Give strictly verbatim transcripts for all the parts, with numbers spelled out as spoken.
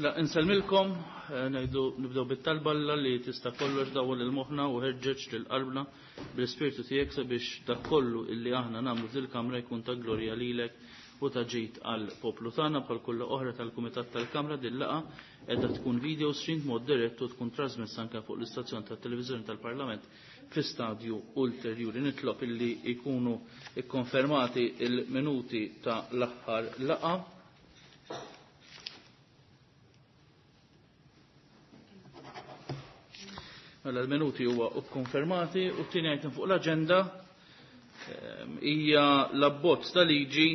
La, insellmilkom, eh, ngħidu nibdew bit-talba Alla li tista' kollox dawwal il-moħħna u ħeġġeġ lil qalbna bl-ispirtu tiegħek sabiex dak kollu illi aħna nagħmlu fil-kamra jkun ta' glorja lilek u ta' ġid għal poplu tagħna. Bħal kull oħra tal-Kumitat tal-Kamra, din laqgħa qiegħda tkun video stream mod dirett u tkun trasmessa anke fuq l-istazzjon tat-televiżjoni tal-Parlament fi stadju ulterjuri. Nitlob illi jkunu ikkonfermati il-minuti ta' l-aħħar laqgħa. Mela l-minuti huwa kkonfermati u t-tieni item fuq l-aġenda ehm, hija l-abbozz ta' liġi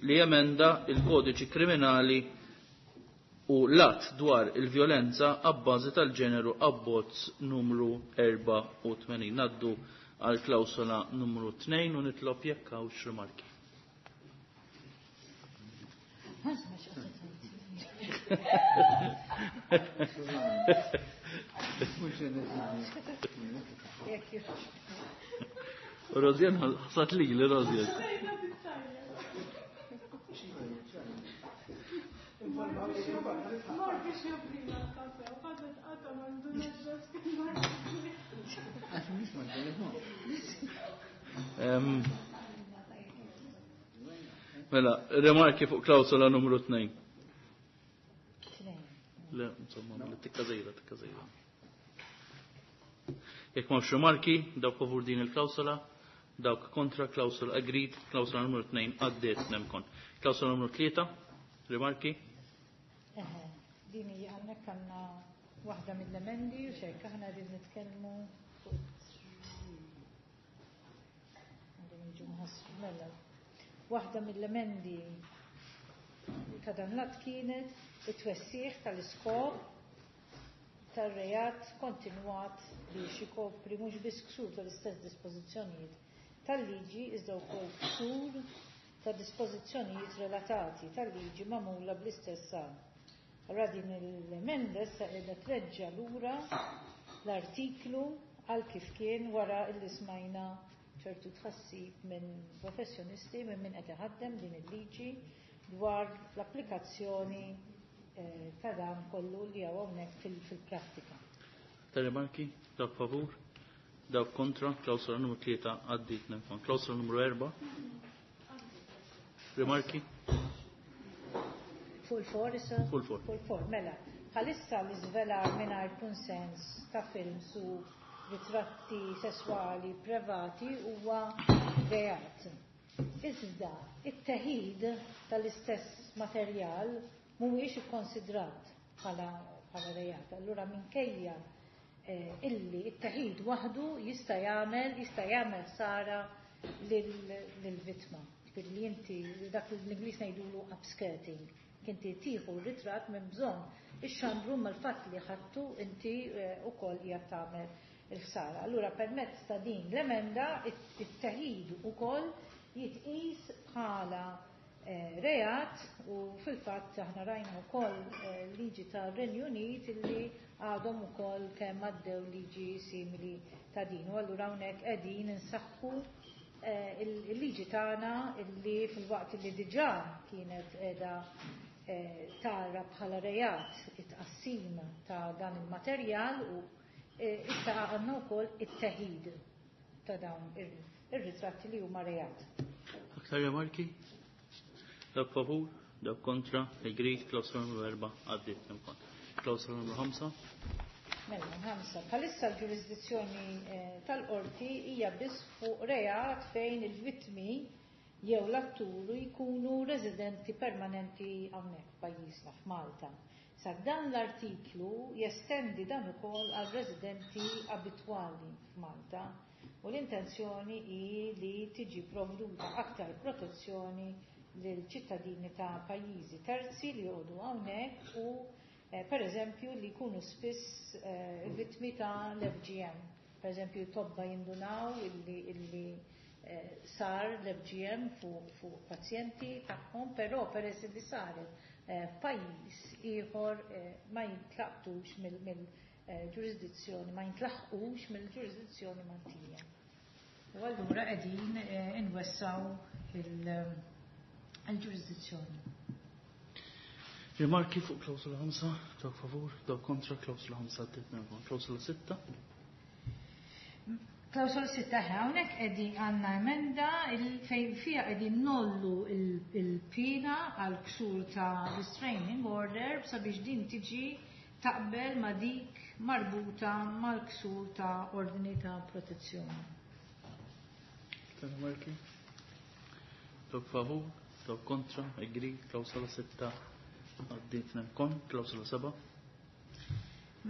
li jemenda il-kodiċi kriminali u l-att dwar il-vjolenza abbażi tal-ġeneru, abbozz numru erbgħa u tmenin. Naddu għal klawsola numru tnejn u nitlob jekk hawnx rimarki. Rozjen ħasat li li Rozjen. Mor biex joffrina l-kafe, u ħadet għata mandu. Għax mhux mal-telefon. Em, Mela, rimarki fuq klawsola numru tnejn. Le, insomma, mela, tikka żejda, tikka żejda. Jekk m'hawnx rimarki, dawk favur din il-klawsola, dawk kontra, klawsola agreed, klawsola numru tnejn għaddiet nemkon. Klawsola numru tlieta, rimarki? Eħe, din hija hawnhekk għandna waħda mill-emendi u xejk aħna qegħdin nitkellmu fuq għandhom jiġu mħassru mela. Waħda mill-emendi ta' dan l-att kienet it-twessiħ tal-iskop tar-reat kontinwat biex ikopri mhux biss ksur tal-istess dispożizzjonijiet tal-liġi, iżda wkoll ksur ta' dispożizzjonijiet relatati tal-liġi magħmula bl-istess għan. Allora din l-emenda issa qiegħda treġġa' lura l-artiklu għal kif kien wara illi smajna ċertu tħassib minn professjonisti, minn min qed iħaddem din il-liġi dwar l-applikazzjoni eh, ta' dan kollu li hawn hawnhekk fil-prattika. Ta' rimarki, dawk favur, dawk kontra, klawsola numru tlieta għaddiet nemkon. Klawsola numru erba', rimarki? Fuq il-four issa? Fuq il-four. Fuq il-four, mela. Bħalissa l-iżvelar mingħajr kunsens ta' films u ritratti sesswali privati huwa reat. Iżda, it-teħid tal-istess materjal mhuwiex ikkonsidrat bħala bħala reat. Allura minkejja eh, illi it-teħid waħdu jista' jagħmel jista' jagħmel ħsara lill-vittma. Ġifieri li inti dak li l-Ingliż ngħidulu upskirting. Inti tieħu r-ritratt minn bżonn ix-xandru mal-fatt li ħadtu inti eh, ukoll qiegħed tagħmel il-ħsara. Allura permezz ta' din l-emenda it-teħid ukoll jitqis bħala eh, reat u fil-fatt aħna rajna wkoll eh, liġi tar-Renju Unit illi għadhom ukoll kemm għaddew liġi simili ta' din. U allura hawnhekk qegħdin insaħħu eh, il-liġi tagħna illi fil-waqt li diġà kienet qiegħda tara bħala reat it-tqassim ta' dan il-materjal u issa għandna wkoll it-teħid ta' dawn ir-ritratti li huma reat. Aktar rimarki? Dawk favur, dawk kontra, agreed, klawsola numru erba' għaddiet nemkon. Klawsola numru ħamsa. Mela, ħamsa. Bħalissa l-ġurisdizzjoni eh, tal-qorti hija biss fuq reat fejn il-vittmi jew l-atturu jkunu residenti permanenti hawnhekk pajjiżna f'Malta. Sa dan l-artiklu jestendi dan ukoll għal residenti abitwali f'Malta u l-intenzjoni hi li tiġi provduta aktar protezzjoni lil ċittadini ta' pajjiżi terzi li joqogħdu hawnhekk u eh, per eżempju li jkunu spiss eh, vittmi ta' l-F G M. Per eżempju tobba jindunaw illi, illi eh, sar l-F G M fuq fu pazjenti tagħhom, però peress li saret eh, f'pajjiż ieħor eh, ma jintlaqtux mill-ġurisdizzjoni, ma jintlaħqux mill-ġurisdizzjoni Maltija. U allura qegħdin eh, inwessaw il-ġurisdizzjoni. Rimarki fuq klawsola ħamsa, dawk favur, dawk kontra, klawsola ħamsa għaddiet minn klawsola sitta. Klawsola sitta, hawnhekk qegħdin għandna emenda fejn fiha qegħdin nollu il-pina għal ksur ta' restraining order sabiex din tiġi taqbel ma' dik marbuta mal-ksur ta' ordni ta' protezzjoni. Rimarki? Dawk favur, dawk kontra, agree, klawsola sitta għaddiet minn klawsola seba'.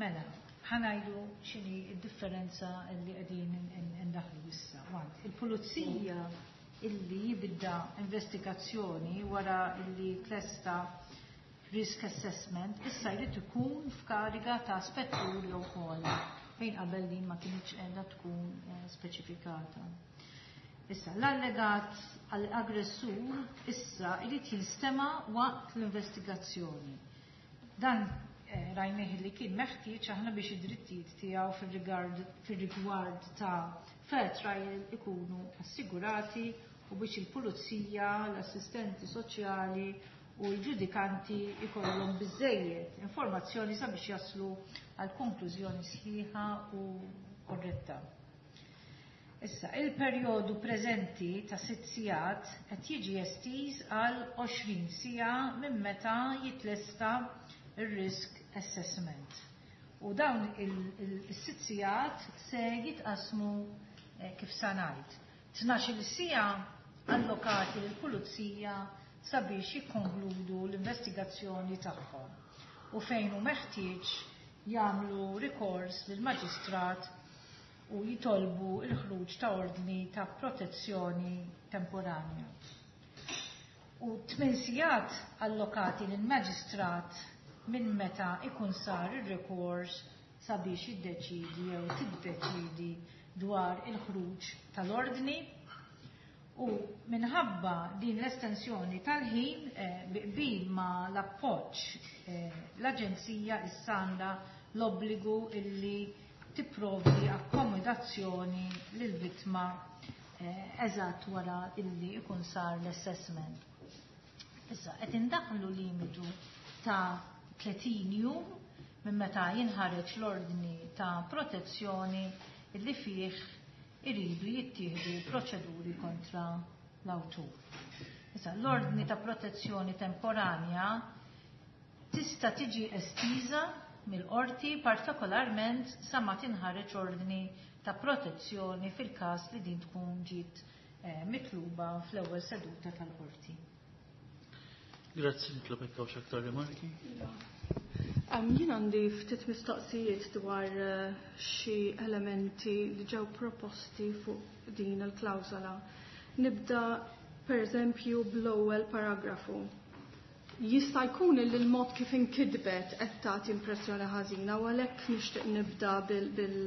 Mela, ħa ngħidu x'inhi d-differenza li qegħdin indaħlu issa. Il-pulizija illi jibda investigazzjoni wara illi tlesta risk assessment issa jrid ikun f'kariga ta' spettur jew ogħla, fejn qabel din ma kinitx qiegħda tkun eh, speċifikata. Issa, l-allegat aggressur issa jrid jinstema waqt l-investigazzjoni. Dan eh, rajnieh li kien meħtieġ aħna biex id-drittijiet tiegħu fir-rigward ta' fair trial ikunu assigurati u biex il-pulizija, l-assistenti soċjali u l-ġudikanti ikollhom biżejjed informazzjoni sabiex jaslu għal konklużjoni sħiħa u korretta. Issa, il-perjodu preżenti ta' sitt sigħat qed jiġi estiż għal għoxrin siegħa minn meta jitlesta ir-risk assessment. U dawn il-sitt sigħat se jitqasmu eh, kif sa ngħid. Tnax-il siegħa allokati lill-pulizija sabiex jikkonkludu l-investigazzjoni tagħhom u fejn hu meħtieġ jagħmlu rikors lill-maġistrat u jitolbu il-ħruġ ta' ordni ta' protezzjoni temporanja. U tmien sigħat allokati lill-maġistrat minn meta ikun sar ir-rikors sabiex jiddeċidi jew tiddeċidi dwar il-ħruġ tal-ordni. U minħabba din l-estensjoni tal-ħin eh, bi qbil ma l-appoġġ eh, l-Aġenzija issa għandha l-obbligu illi tipprovdi akkomodazzjoni lill-vittma eh, eżatt wara illi ikun sar l-assessment. Issa qed indaħlu limitu ta' tletin jum minn meta jinħareġ l-ordni ta' protezzjoni illi fih iridu jittieħdu proċeduri kontra l-awtur. Issa l-ordni ta' protezzjoni temporanja tista' tiġi estiża mill-qorti, partikolarment sa ma tinħareġ ordni ta' protezzjoni fil-każ li din tkun ġiet eh, mitluba fl-ewwel seduta tal-qorti. Grazzi, nitlob hekk hawn aktar rimarki. Jien għandi ftit mistoqsijiet dwar eh, xi elementi li ġew proposti fuq din il-klawżola. Nibda per eżempju bl-ewwel paragrafu. Jista' jkun li l-mod kif inkitbet qed tagħti impressjoni ħażina u għalhekk nixtieq nibda bil, bil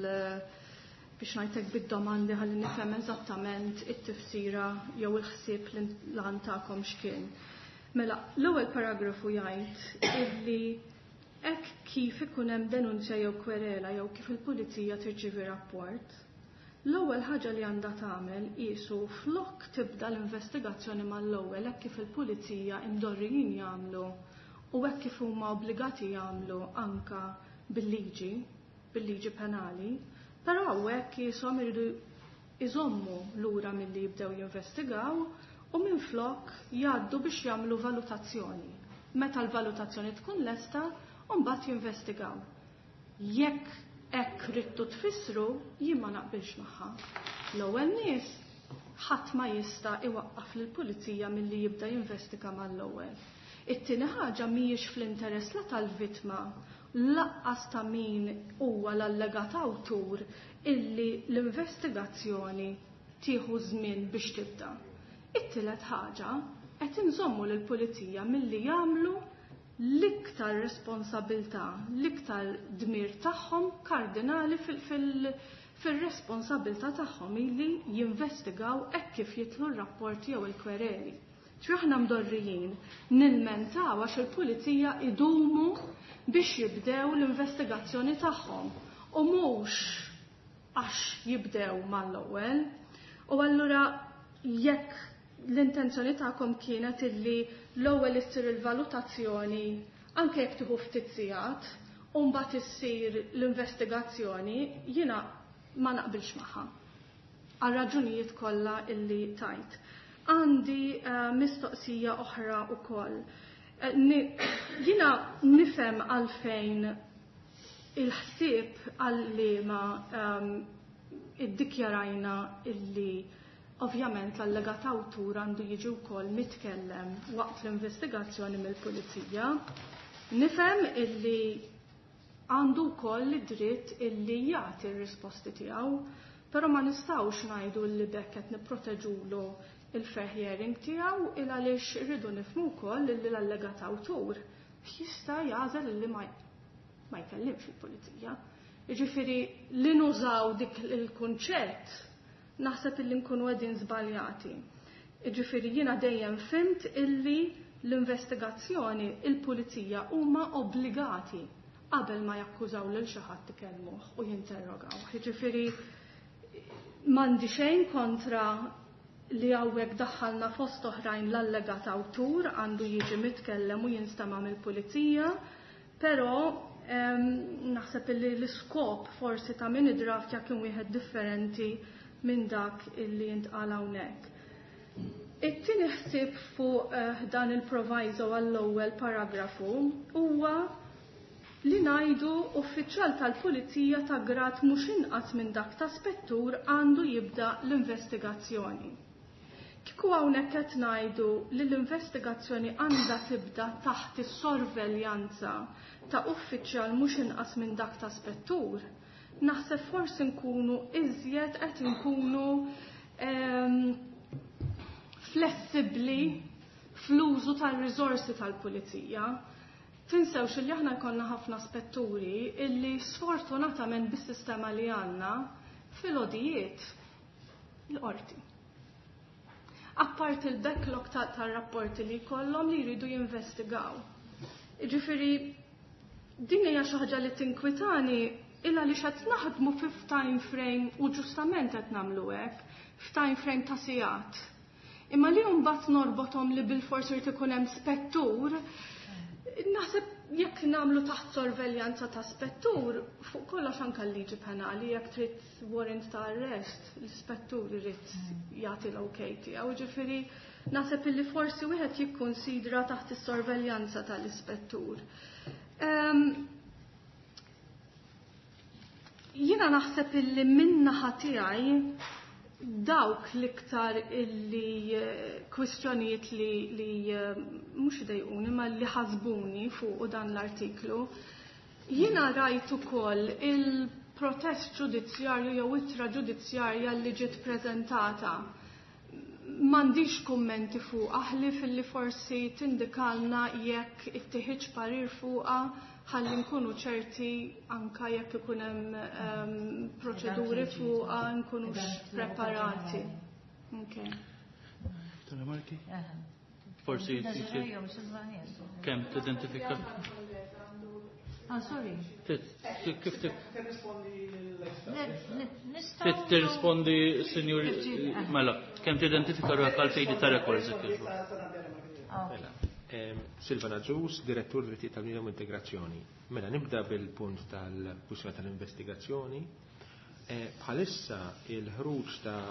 biex ngħidlek bid-domandi ħalli nifhem eżattament it-tifsira jew il-ħsieb li lan tagħkom x'kien. Mela, l-ewwel paragrafu jgħid illi hekk kif ikun hemm denunzja jew kwerela jew kif il-pulizija tirċievi rapport, l-ewwel ħaġa li għandha tagħmel qisu flok tibda l-investigazzjoni mal-ewwel hekk kif il-pulizija imdorrijin jagħmlu u hekk kif huma obbligati jagħmlu anka bil-liġi, bil-liġi penali, però hawnhekk qishom iridu iżommu lura milli jibdew jinvestigaw u minflok jgħaddu biex jagħmlu valutazzjoni. Meta l-valutazzjoni tkun lesta, u mbagħad jinvestigaw. Jekk hekk ridtu tfissru, jien ma naqbilx magħha. L-ewwel nies ħadd ma jista' iwaqqaf lill-pulizija milli jibda jinvestiga mal-ewwel. It-tieni ħaġa mhijiex fl-interess la tal-vittma laqqas ta' min huwa l-allegat awtur illi l-investigazzjoni tieħu żmien biex tibda. It-tielet ħaġa qed inżommu lill-pulizija milli jagħmlu l-iktar responsabilità, l-iktar dmir tagħhom kardinali fil-responsabilità tagħhom illi jinvestigaw hekk kif jitlu r-rapporti jew il-kwereli. Ġifieri aħna mdorrijin nilmentaw għax il-pulizija idumu biex jibdew l-investigazzjoni tagħhom u mhux għax jibdew mal-ewwel. U allura jekk l-intenzjoni tagħkom kienet illi l-ewwel issir il-valutazzjoni Anke jekk tieħu ftit sigħat, u mbagħad issir l-investigazzjoni, jiena ma naqbilx magħha. Għal raġunijiet kollha illi tajt. Għandi uh, mistoqsija oħra wkoll. Jiena nifhem għalfejn il-ħsieb għal-liema um, iddikjarajna illi ovvjament l-allegat awtur għandu jiġi wkoll mitkellem waqt l-investigazzjoni mill-pulizija. Nifhem illi għandu wkoll id-dritt illi jagħti r-risposti tiegħu, però ma nistgħux ngħidu li bekk qed nipproteġulu il-fair hearing tiegħu il għaliex irridu nifhmu wkoll illi l-allegat awtur jista' jagħżel illi ma ma jkellimx il-pulizija. Jiġifieri li nużaw dik il-kunċett naħseb illi nkunu qegħdin żbaljati. Jiġifieri jiena dejjem fhimt illi l-investigazzjoni il-pulizija huma obbligati qabel ma jakkużaw lil xi ħadd ikellmuh u jinterrogaw. Jiġifieri m'għandi xejn kontra li hawnhekk daħħalna fost oħrajn l-allegat awtur għandu jiġi mitkellem u jinstema' mill-pulizija, però naħseb illi l-iskop forsi ta' min id-draft kien wieħed differenti minn dak illi jintqal hawnhekk. It-tieni ħsieb fuq dan il-proviso għall-ewwel paragrafu huwa li ngħidu uffiċjal tal-pulizija ta' grad mhux inqas minn dak ta' spettur għandu jibda l-investigazzjoni. Kieku hawnhekk qed ngħidu li l-investigazzjoni għandha tibda taħt is-sorveljanza ta' uffiċjal mhux inqas minn dak ta' spettur, naħseb forsi nkunu iżjed qed nkunu flessibbli fl-użu tal-riżorsi tal-pulizija. Tinsewx li aħna jkollna ħafna spetturi illi sfortunatament bis-sistema li għandna fil-odijiet l-qorti. Apart il-backlog tar-rapporti li jkollhom li jridu jinvestigaw. Jiġifieri din hija xi ħaġa li tinkwitani illa għaliex qed naħdmu fi time frame u ġustament qed nagħmlu hekk, f'time frame ta' sigħat. Imma li mbagħad norbothom li bilfors irid ikun hemm spettur, naħseb jekk nagħmlu taħt sorveljanza ta' spettur, fuq kollox anke l-liġi penali, jekk trid warrant ta' arrest, l-ispettur irid jagħti l-ok tiegħu. Ġifieri naħseb illi forsi wieħed jikkunsidra taħt is-sorveljanza tal-ispettur. Jiena naħseb illi min-naħa tiegħi dawk l-iktar illi kwistjonijiet li, li mhux idejquni ma li ħasbuni fuq dan l-artiklu. Jiena rajt ukoll il-protest ġudizzjarju jew ittra ġudizzjarja li ġiet preżentata. M'għandix kummenti fuq aħli filli forsi tindikalna jekk ittieħidx parir fuqha ħalli nkunu ċerti anka jekk ikun hemm um, proċeduri fuqha nkunux preparati. Okay. Marki? Forsi kemm tidentifika? Ah, sorry. Kif tirrispondi, Sinjur, mela, kemm tidentifika ruħek għal fejdi ta' records Silvana Ġus, Direttur Drittijiet tal-Bniedem u Integrazzjoni. Mela nibda bil-punt tal-kwistjoni tal-investigazzjoni. Bħalissa il-ħruġ ta'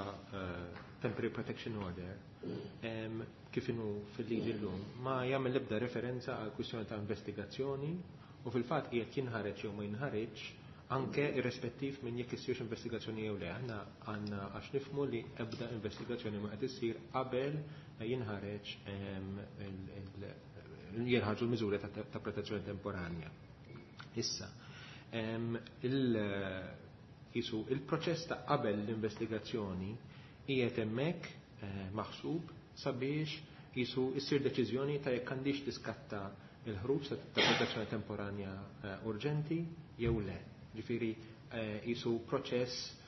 Temporary Protection Order kif inhu fil-liġi llum ma jagħmel l-ebda referenza għal kwistjoni ta' investigazzjoni u fil-fatt qiegħed jinħareġ jew ma jinħareġ anke irrispettiv minn jekk issirx investigazzjoni jew le. Aħna għandna għax nifhmu li ebda investigazzjoni ma qed issir qabel jinħareġ jinħarġu l-miżuri ta' protezzjoni temporanja. Issa, il-proċess ta' qabel l-investigazzjoni qiegħed hemmhekk maħsub sabiex jisu issir deċiżjoni ta' jekk għandix tiskatta il-ħruġ ta' protezzjoni temporanja urġenti jew le. Ġifieri jisu proċess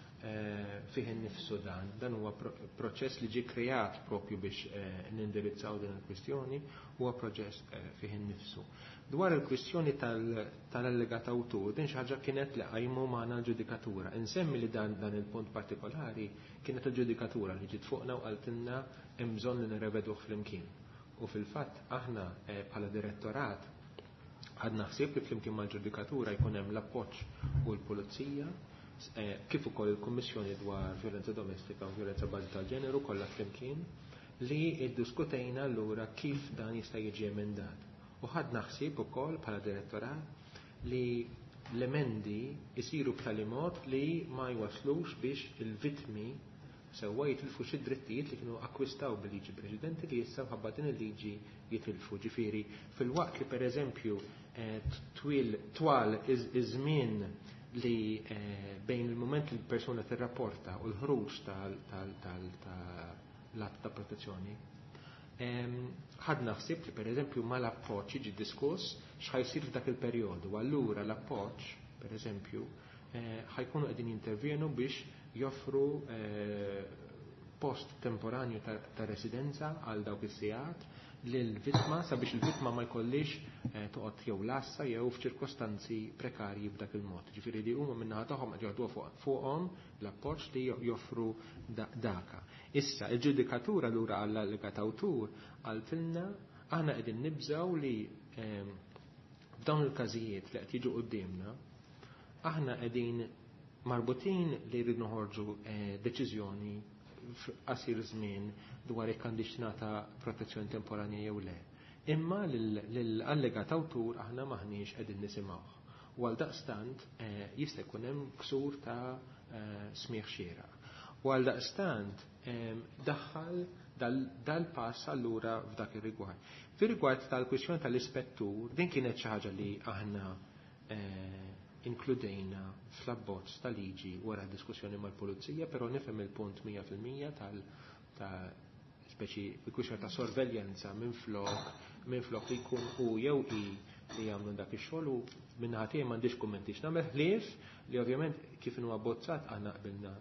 fih innifsu dan. Dan huwa proċess li ġie kreat propju biex nindirizzaw din il-kwistjoni, huwa proċess fih innifsu. Dwar il-kwistjoni tal-allegat awtur, din xi ħaġa kienet li qajmu magħna l-ġudikatura. Insemmi li dan dan il-punt partikolari kienet il-ġudikatura li ġiet fuqna u qaltilna hemm bżonn li nirreveduh flimkien. U fil-fatt aħna bħala direttorat Ħadna ħsieb li flimkien mal-ġudikatura jkun hemm l-appoġġ u l-pulizija, eh, kif ukoll il-Kummissjoni dwar violenza domestika u violenza bażi tal-ġeneru kollha flimkien li iddiskutejna allura kif dan jista' jiġi emendat. U ħadna ħsieb ukoll bħala direttorat li l-emendi jisiru b'tali mod li ma jwaslux biex il-vittmi sewwa jitilfu xi drittijiet li kienu akkwistaw bil-liġi preċedenti li issa mħabba din il-liġi jitilfu. Ġifieri fil-waqt li pereżempju eh, twil twal iż-żmien li eh, bejn il-moment li l-persuna tirrapporta u l-ħruġ tal-att ta' protezzjoni, ħadna ħsieb li pereżempju mal-appoġġ jiġi diskuss x'ħajsir f'dak il-perjodu. Allura l-appoġġ, pereżempju, eh, ħajkunu qegħdin jintervjenu biex joffru eh, post temporanju ta', ta residenza għal dawk is-sigħat lill-vittma sabiex il-vittma ma jkollix eh, toqgħod jew lassa jew f'ċirkostanzi prekarji b'dak il-mod. Ġifieri li huma min-naħa tagħhom qed joħduha fuqhom l-appoġġ li joffru daka. Issa il-ġudikatura lura għall-allegat awtur qaltilna aħna qegħdin nibżgħu li ehm, f'dawn il-każijiet li qed jiġu quddiemna aħna qegħdin marbutin li rridu noħorġu eh, deċiżjoni f'qasir żmien dwar jekk għandix tingħata protezzjoni temporanja jew le. Imma lill-allegat awtur aħna maħniex qegħdin nisimgħuh. U għal daqstant eh, jista' jkun hemm ksur ta' eh, smigħ xieraq. U għal daqstant daħħal dal-pass allura f'dak ir-rigward. Fir-rigward tal-kwistjoni tal-ispettur, din kienet xi ħaġa li aħna inkludejna fl-abbozz tal-liġi wara diskussjoni mal-pulizija, però nifhem il-punt mija fil-mija tal ta' speċi il-kwistjoni ta' sorveljanza minn flok minn flok li jkun hu jew hi li jagħmlu dak ix-xogħol u min-naħa tiegħi m'għandix kummenti x'nagħmel ħlief li ovvjament kif inhu abbozzat aħna qbilna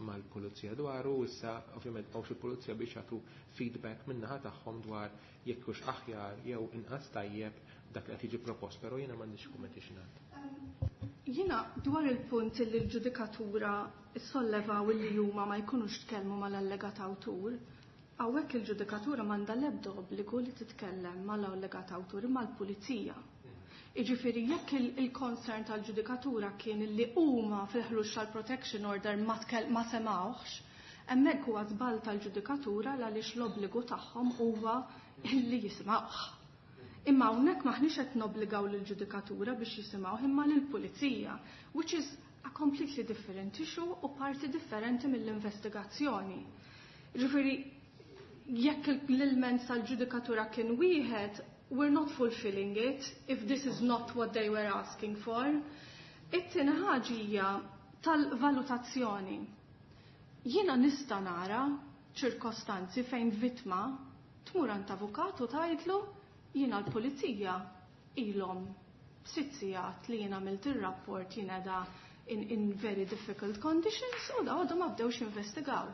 mal-pulizija dwaru, issa ovvjament hawnx il-pulizija biex jagħtu feedback min-naħa tagħhom dwar jekk hux aħjar jew inqas tajjeb dak li qed jiġi propost, però jiena m'għandix kummenti x'ngħid. Jiena dwar il-punt li l-ġudikatura sollevaw li huma ma jkunux tkellmu mal-allegat awtur, hawnhekk il-ġudikatura m'għandha l-ebda obbligu li titkellem mal-allegat awtur imma l-pulizija. Jiġifieri jekk il-concern tal-ġudikatura kien li huma fil-ħruġ tal-protection order ma semawx, hemmhekk huwa żball tal-ġudikatura għaliex l-obbligu tagħhom huwa li jisimgħuh. Imma hawnhekk maħniex qed nobbligaw lill-ġudikatura biex jisimgħuh imma lill-pulizija, which is a completely different issue u parti differenti mill-investigazzjoni. Ġifieri jekk l-ilment tal-ġudikatura kien wieħed, we're not fulfilling it if this is not what they were asking for. It-tieni ħaġa hija tal-valutazzjoni. Jiena nista' nara ċirkostanzi fejn vittma tmur għand avukat u tgħidlu jiena l-pulizija ilhom sitt sigħat li jiena għamilt ir-rapport jiena da in, in very difficult conditions u da għadhom ma bdewx investigaw.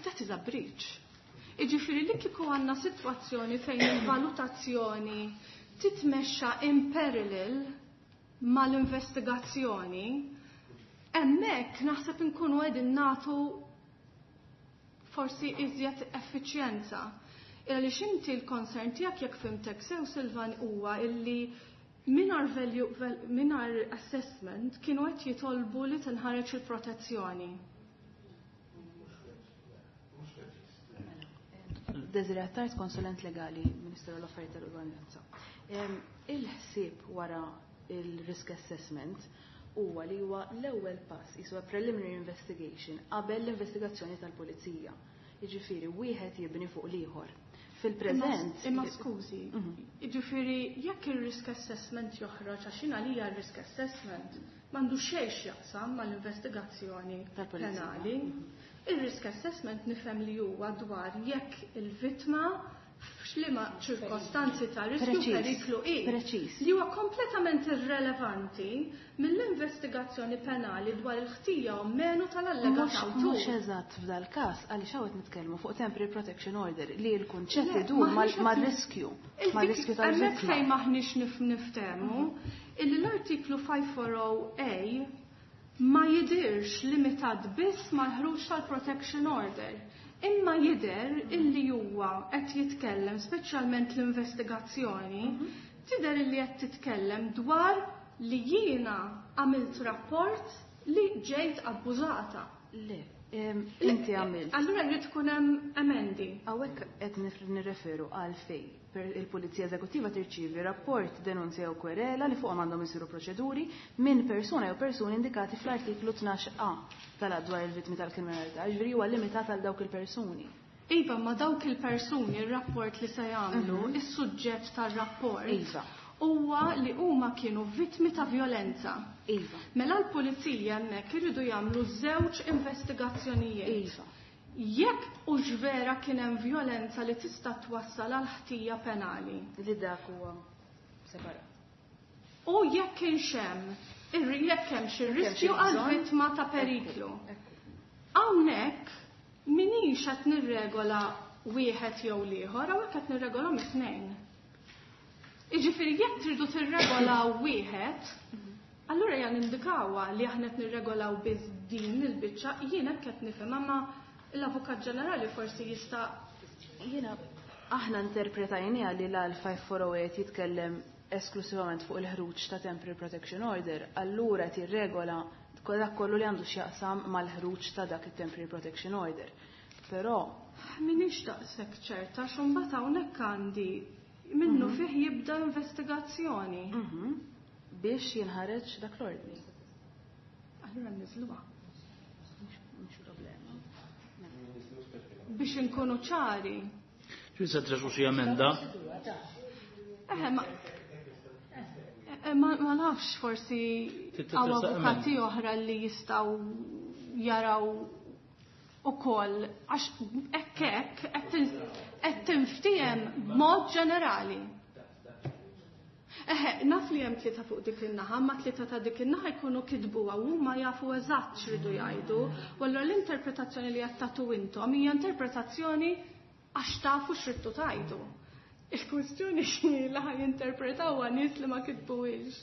That is a breach. Iġifieri li kieku għandna sitwazzjoni fejn il-valutazzjoni titmexxa in parallel mal-investigazzjoni, hemmhekk naħseb inkunu qegħdin nagħtu forsi iżjed effiċjenza. Illa li xinti l-concern tiegħek jekk fhimtek sew Silvan huwa illi mingħajr value, mingħajr assessment kienu qed jitolbu li tinħareġ il-protezzjoni. Desiree Attard, konsulent legali, Ministeru l-Affarijiet tal-Ugwaljanza. Il-ħsieb wara il-risk assessment huwa li huwa l-ewwel pass jiswa preliminary investigation qabel l-investigazzjoni tal-pulizija. Jiġifieri wieħed jibni fuq l-ieħor. Fil-preżent. Imma skużi, jiġifieri jekk il-risk assessment joħroġ għax jien għalija r-risk assessment m'għandu xejn x'jaqsam mal-investigazzjoni penali. Il-risk assessment nifhem li huwa dwar jekk il-vittma f'xliema ċirkostanzi ta' riskju periklu i. Preċiż. Li huwa kompletament irrelevanti mill-investigazzjoni penali dwar il-ħtija u menu tal-allegat awtur. Mhux eżatt f'dal każ għaliex hawn qed nitkellmu fuq temporary protection order li l-kunċett idur mar-riskju. Mar-riskju tal-vittma. Hemmhekk fejn maħniex niftehmu illi l-artiklu five four oh A ma jidirx limitat biss mal-ħruġ tal-protection order. Imma jider illi huwa qed jitkellem speċjalment l-investigazzjoni Tidher li qed titkellem dwar li jiena għamilt rapport li ġejt abbużata. Le, inti għamilt. Allura jrid ikun hemm emendi. Hawnhekk qed nirreferu għal fej il-Pulizija Eżekuttiva tirċievi rapport, denunzja jew kwerela li fuqhom għandhom isiru proċeduri minn persuna jew persuni indikati fl-artiklu tnax A tal-Att dwar il-vittmi tal-kriminalità, ġifieri huwa limitat għal dawk il-persuni. Iva, ma dawk il-persuni ir-rapport li se jagħmlu, is-suġġett tar-rapport Iva. huwa li huma kienu vittmi ta' violenza. Iva. Mela l-pulizija hemmhekk iridu jagħmlu żewġ investigazzjonijiet. Iva. Jekk hux vera kien hemm violenza li tista' twassal għal ħtija penali. Li dak huwa separat. U jekk kienx hemm, jekk hemm xi riskju għal vittma ta' periklu. Hawnhekk minix qed nirregola wieħed jew l-ieħor, hawnhekk qed nirregola mit-tnejn. Jiġifieri jekk tridu tirregolaw wieħed, allura jan indikawha li aħna qed nirregolaw biss din il-biċċa, jien hekk qed nifhem, imma l-Avukat Ġenerali forsi jista' Jiena aħna interpretajniha li l five four oh eight jitkellem esklusivament fuq il-ħruġ ta' Temporary Protection Order, allura tirregola dak kollu li għandu x'jaqsam mal-ħruġ ta' dak it-Temporary Protection Order. Però minix daqshekk ċerta x'imbagħad hawnhekk għandi minnu fih jibda investigazzjoni. Biex jinħareġ dak l-ordni. Allura niżluha. Mhux problema. Biex inkunu ċari. Xi se tresu xi emenda? Eħe, ma Ma, ma nafx forsi Trid hawn titresaq avukati emenda. oħra li jistgħu jaraw ukoll għax hekk hekk qed tinftiehem b'mod ġenerali. Eħe, naf li hemm tlieta fuq dik in-naħa, ma tlieta ta' dik in-naħa jkunu kitbuha u huma jafu eżatt x'ridu jgħidu, u allura l-interpretazzjoni li qed tagħtu intom hija interpretazzjoni għax tafu x'ridtu tgħidu. Il-kwestjoni x'inhi li ħaj jinterpretawha nies li ma kitbuhiex.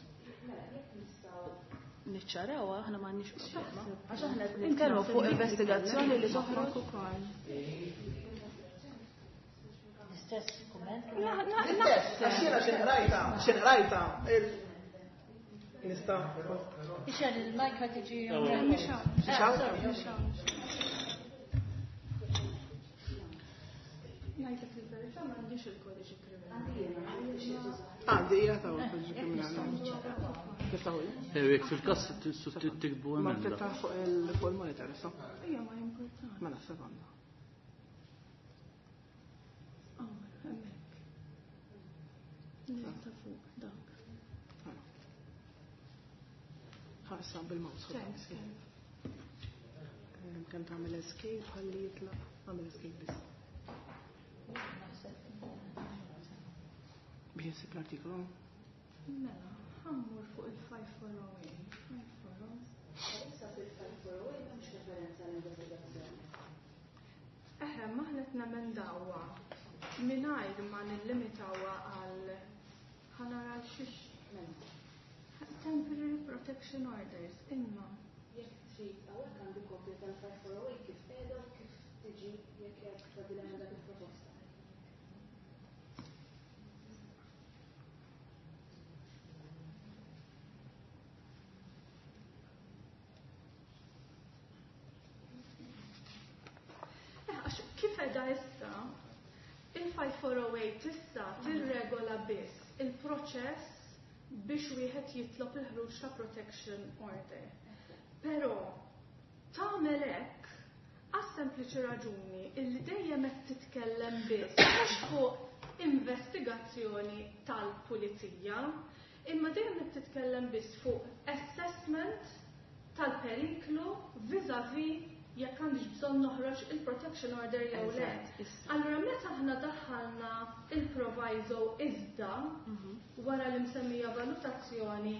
Niċċarawha, aħna m'għandniex problema. Għax aħna qed nitkellmu fuq investigazzjoni li toħroġ ukoll. L-istess kumment? L-istess, għax jiena x'inqrajta, x'inqrajta, nista'. Ixel, il-mic ma tiġi. Mhix hawn? Ngħidlek il-verità m'għandix il-kodiċi kriminali. Għandi hija ta' il-kodiċi kriminali. Niftaħu li? Jekk fil-każ tiktbu Ma emenda. tiftaħ fuq il-monitor, issa. Ija ma importanti. Mela, sekonda. Oh, hemmhekk. Ta' fuq dak. Ħarsa bil-mouse. Thanks. Kemm tagħmel escape ħalli jitlaq, għamel escape biss. Biex insib l-artikolu. Mela, ħammur fuq il-five four oh eight. five four oh. Issa fil-five four oh eight m'hemmx referenza għall-investigazzjoni. Eħe, maħna qed nemendawha mingħajr ma nillimitawha għal ħanara għal xiex Temporary Protection Orders, imma. Jekk trid hawnhekk għandi kopja tal-five four oh eight kif qiegħda u kif tiġi jekk hekk tagħti l-emenda kif proposta. Għax kif qiegħda issa, il-five four oh eight issa tirregola biss il-proċess biex wieħed jitlob il-ħruġ ta' protection order. Però tagħmel hekk għas sempliċi raġuni illi dejjem qed titkellem biss mhux fuq investigazzjoni tal-pulizija, imma dejjem qed titkellem biss fuq assessment tal-periklu vis-à-vis jekk għandix bżonn noħroġ il-protection order jew le. Eżatt, issa. Allura meta aħna daħħalna il-proviso iżda wara l-imsemmija valutazzjoni,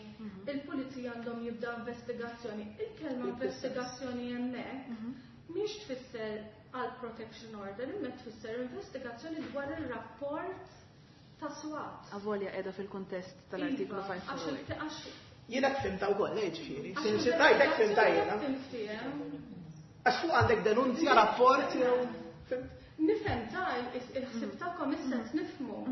il-pulizija għandhom jibda investigazzjoni. Il-kelma investigazzjoni hemmhekk mhix tfisser għal protection order, imma tfisser investigazzjoni dwar ir-rapport ta' SWAT. Avolja qiegħda fil-kuntest tal-artiklu Iva, five four għax eight. il- għax Jiena fhimta wkoll, eh, ġifieri. għax Sin rajtek fhimta jiena. tinftiehem. Għax fuq għandek denunzja, rapport jew fhimt? Nifhem ta' il-ħsieb tagħkom is-sens nifhmu.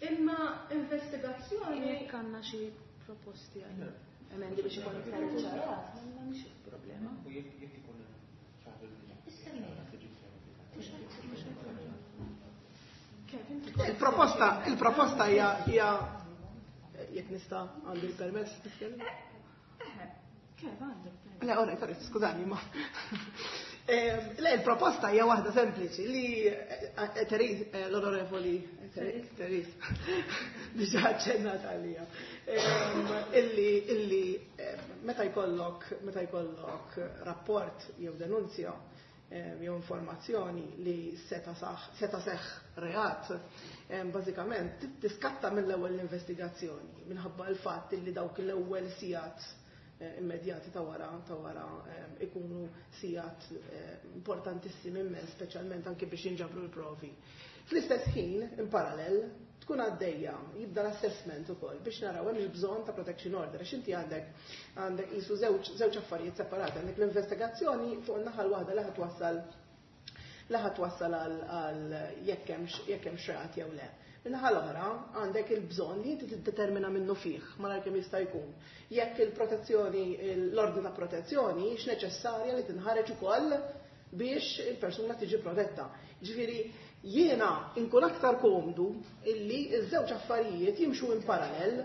Imma investigazzjoni Jekk għandna xi proposti għal emendi biex ikun iktar ċarat, m'hemmx problema. U jekk jekk ikun xi ħaġa li tiġi Kevin, Il-proposta, il-proposta hija hija jekk nista' għandi l-permess nitkellem? Kev għandek. Le, ora, sorry, skużani, ma. Eh, Le, il-proposta hija waħda sempliċi li eh, Therese, eh, l-onorevoli Therese, diġà aċċennat għalija. Ehm, Illi, illi eh, meta jkollok, meta jkollok rapport jew denunzja eh, jew informazzjoni li seta saħ, seta seħ reat, eh, bażikament tiskatta mill-ewwel l-investigazzjoni minħabba l-fatt illi dawk l-ewwel sigħat eh, immedjati ta' wara ta' wara eh, ikunu sigħat eh, importantissimi immens, speċjalment anke biex jinġabru l-provi. Fl-istess ħin, in parallel, tkun għaddejja, jibda l-assessment ukoll biex naraw hemm il-bżonn ta' protection order, għax inti għandek għandek qisu żewġ żewġ affarijiet separati, għandek l-investigazzjoni fuq in-naħa l-waħda li ħa twassal li ħa twassal għal għal jekk hemmx jekk hemm reat jew le. Min-naħa l-oħra għandek il-bżonn li inti tiddetermina minnu fih malajr kemm jista' jkun. Jekk il-protezzjoni, l-ordni ta' protezzjoni hix neċessarja li tinħareġ ukoll biex il-persuna tiġi protetta. Ġifieri jiena inkun aktar komdu illi ż-żewġ affarijiet jimxu in parallel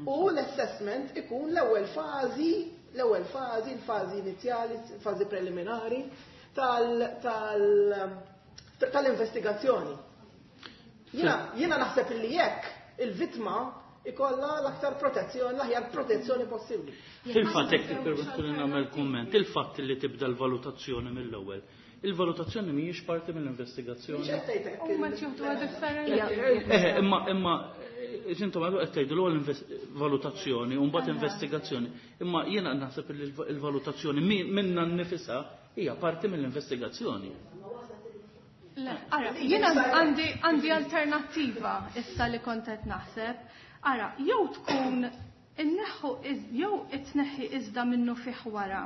u l-assessment ikun l-ewwel fażi, l-ewwel fażi, l-fażi inizjali, fażi preliminari tal- tal- tal-investigazzjoni. Jiena jiena naħseb illi jekk il-vittma ikolla l-aktar protezzjoni, l-aħjar protezzjoni possibbli. Fil-fatt jekk tippermettuli nagħmel kumment, il-fatt li tibda l-valutazzjoni mill-ewwel. Il-valutazzjoni mhijiex parti mill-investigazzjoni. Mhix qed tgħidlek U ma tieħduha differenti. Eh, imma imma intom għadu qed tgħidu l-ewwel valutazzjoni u mbagħad investigazzjoni. Imma jiena naħseb li l-valutazzjoni minna nnifisha hija parti mill-investigazzjoni. Le, ara, jiena għandi għandi alternattiva issa li kont qed naħseb. Ara, jew tkun inneħħu jew itneħħi iżda minnu fih wara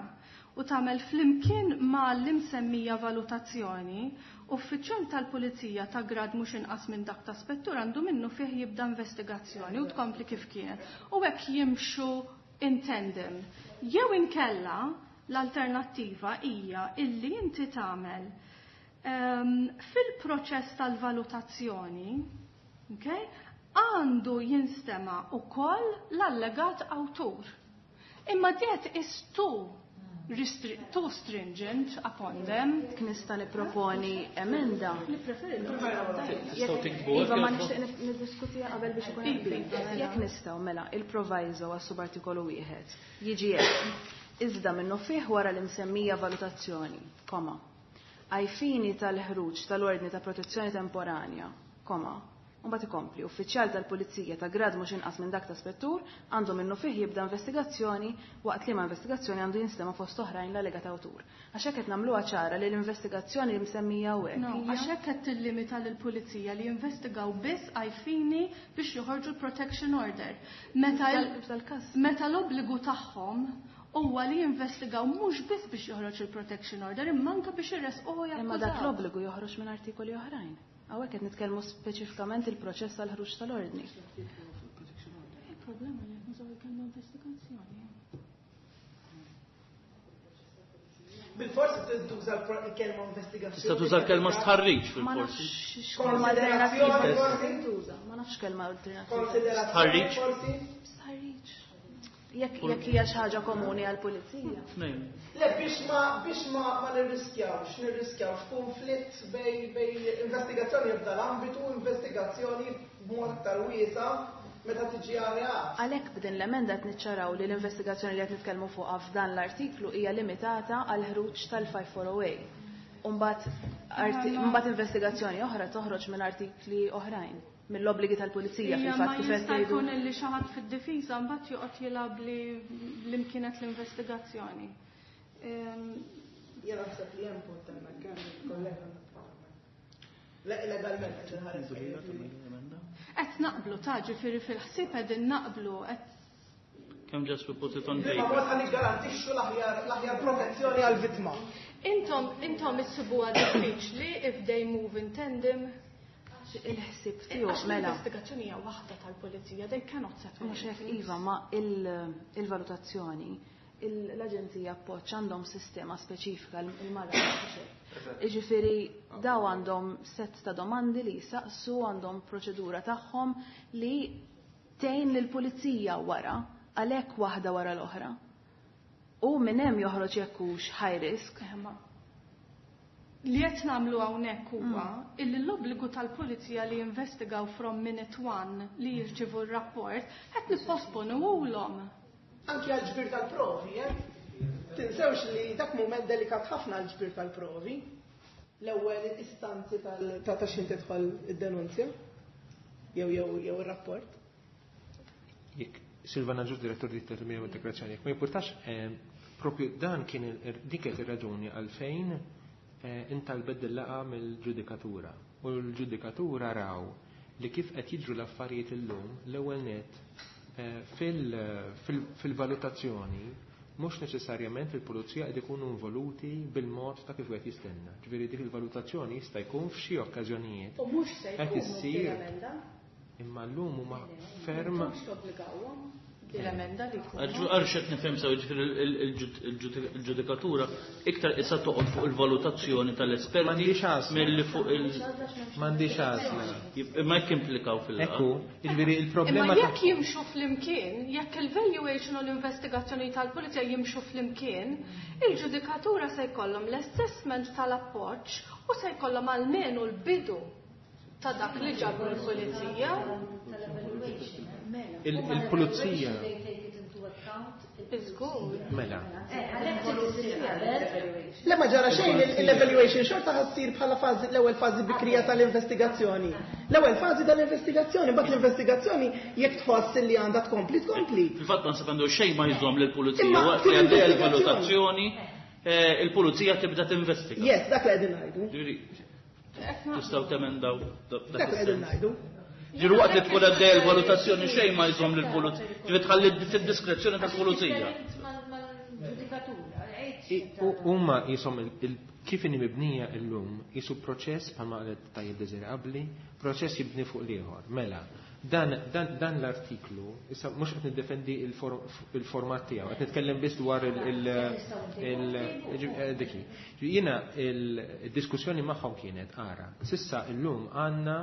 u tagħmel flimkien ma l-imsemmija valutazzjoni, uffiċjal tal-pulizija ta' grad mhux inqas minn dak ta' spettur għandu minnu fih jibda investigazzjoni u tkompli kif kienet. U hekk jimxu in tandem. Jew inkella l-alternattiva hija illi inti tagħmel um, fil-proċess tal-valutazzjoni, okay, għandu jinstema ukoll l-allegat awtur. Imma that is too restri too stringent upon them. Jekk nista' nipproponi emenda. Tistgħu tiktbu Iva, ma nixtieq niddiskutiha qabel biex ikun hemm qbil. Jekk nistgħu mela il-proviso għas subartikolu wieħed jiġi hekk. Iżda minnu fih wara l-imsemmija valutazzjoni, koma. Ai fini tal-ħruġ tal-ordni ta' protezzjoni temporanja, koma. Mbagħad ikompli, uffiċjal tal-pulizija ta' grad mhux inqas minn dak ta' spettur għandu minnu fih jibda investigazzjoni waqt liema investigazzjoni għandu jinstema' fost oħrajn l-allegat awtur. Għax hekk qed nagħmluha ċara li l-investigazzjoni li msemmija hawnhekk. No, għax hekk qed tillimita lill-pulizija li jinvestigaw biss ai fini biex joħorġu l-protection order. Meta il- F'dal-każ. meta l-obbligu tagħhom huwa li jinvestigaw mhux biss biex joħroġ il-protection order, imma anke biex irresquh Imma dak jakkużaw. l-obbligu joħroġ minn artikoli oħrajn. Hawnhekk qed nitkellmu speċifikament il-proċess tal-ħruġ tal-ordni. Il-problema li qed nużaw il-kelma investigazzjoni. Bil-forsi tuża l-kelma investigazzjoni. Tista' tuża l-kelma stħarriġ Ma fil-forsi. nafx kelma alternattiva Konsiderazzjoni forsi? tuża, ma nafx kelma alternattiva. Konsiderazzjoni Stħarriġ? forsi? Stħarriġ. Jekk jekk hija xi ħaġa komuni għall-pulizija. Tnejn. Le, biex ma biex ma ma nirriskjawx, nirriskjawx konflitt bej bej investigazzjoni f'dal ambitu, investigazzjoni b'mod aktar wiesa meta tiġi għal Għalhekk b'din l-emenda qed niċċaraw li l-investigazzjoni li qed nitkellmu fuqha f'dan l-artiklu hija limitata għal ħruġ tal-five four oh A. Mbagħad mbagħad investigazzjoni oħra toħroġ minn artikli oħrajn, mill-obbligi tal-pulizija Ija, fil-fatt ma kif qed jista' tgħidu. jkun li xi ħadd fid-difiża mbagħad joqgħod jilgħab li li kienet l-investigazzjoni. Ehm, Jena naħseb li hemm punt hemmhekk, hemm il-kollega għandha punt hemmhekk. Le, legalment qed inħares. Qed naqblu ta' ġifieri fil-ħsieb qegħdin naqblu qed Kemm just we put it on Imma paper. mod ħa niggarantixxu l-aħjar l-aħjar protezzjoni għall-vittma. Intom intom issibuha diffiċli if they move in tandem. Il-ħsieb tiegħu mela. L-investigazzjoni hija waħda tal-pulizija, they cannot separate. Mhux hekk iva, ma il-valutazzjoni l-Aġenzija Appoġġ għandhom sistema speċifika il-mara. Jiġifieri daw għandhom set ta' domandi li jisaqsu, għandhom proċedura tagħhom li tgħin lill-pulizija wara, għalhekk waħda wara l-oħra. U minn hemm joħroġ jekk hux high risk. Li qed nagħmlu hawnhekk huwa illi l-obbligu tal-pulizija li jinvestigaw from minute one li jirċivu r-rapport qed nipposponuhulhom. Anki għal-ġbir tal-provi, eh? Tinsewx li dak moment delikat ħafna għal-ġbir tal-provi. L-ewwel istanzi ta' ta' xejn tidħol id-denunzja jew jew jew ir-rapport. Jekk Silvana Ġus, direttur di Termini u Integrazzjoni, jekk ma jimpurtax, propju dan kien dik kienet ir-raġuni għalfejn intalbet dil-laqgħa mill-ġudikatura. U l-ġudikatura raw li kif qed jiġru l-affarijiet illum l-ewwel net fil-valutazzjoni mhux neċessarjament il-pulizija qed ikunu involuti bil-mod ta' kif qed jistenna. Ġifieri dik il-valutazzjoni jista' jkun f'xi okkażjonijiet. U mhux se Qed jkunu issir l-emenda. Imma llum huma ferm Mhux tobbligawhom l-emenda li jkunu. Għarx qed nifhem sew, ġifieri il-ġudikatura iktar issa toqgħod fuq il-valutazzjoni tal-esperti M'għandix għażla. milli fuq il- M'għandix għażla. Imma jekk implikaw fil-laqgħa. Ekku, jiġifieri il-problema Imma ta' jekk jimxu flimkien, jekk il-valuation u l-investigazzjoni tal-pulizija jimxu flimkien, il-ġudikatura se jkollhom l-assessment tal-appoġġ u se jkollhom almenu l-bidu ta' dak li ġabru l-pulizija. Il- il-pulizija. Iżgur. Mela. Le ma ġara xejn, l-evaluation xorta ħa ssir bħala fażi l-ewwel fażi bikrija tal-investigazzjoni. L-ewwel fażi tal-investigazzjoni, mbagħad l-investigazzjoni jekk tħoss li għandha tkompli tkompli. Fil-fatt ma nsab għandu xejn ma jżomm lill-pulizija Imma waqt li għaddejja fil-investigazzjoni. l-valutazzjoni, eh, il-pulizija tibda tinvestiga. Yes, dak li qegħdin ngħidu. Ġifieri, tistgħu temendaw dak Dak li qegħdin is-sens. ngħidu. Ġifieri waqt li tkun għaddejja l-valutazzjoni xejn ma jżomm lill-pulizija. Ġifieri tħalli fid-diskrezzjoni tal-pulizija. Huma jisom kif inhi mibnija llum jisu proċess bħalma qalet tajjeb Desiree qabli, proċess jibni fuq l-ieħor. Mela, dan, dan, dan l-artiklu, issa mhux qed niddefendi il-format tiegħu, qed nitkellem biss dwar il- il- il- diki. Jiena il-diskussjoni magħhom kienet ara, sissa llum għandna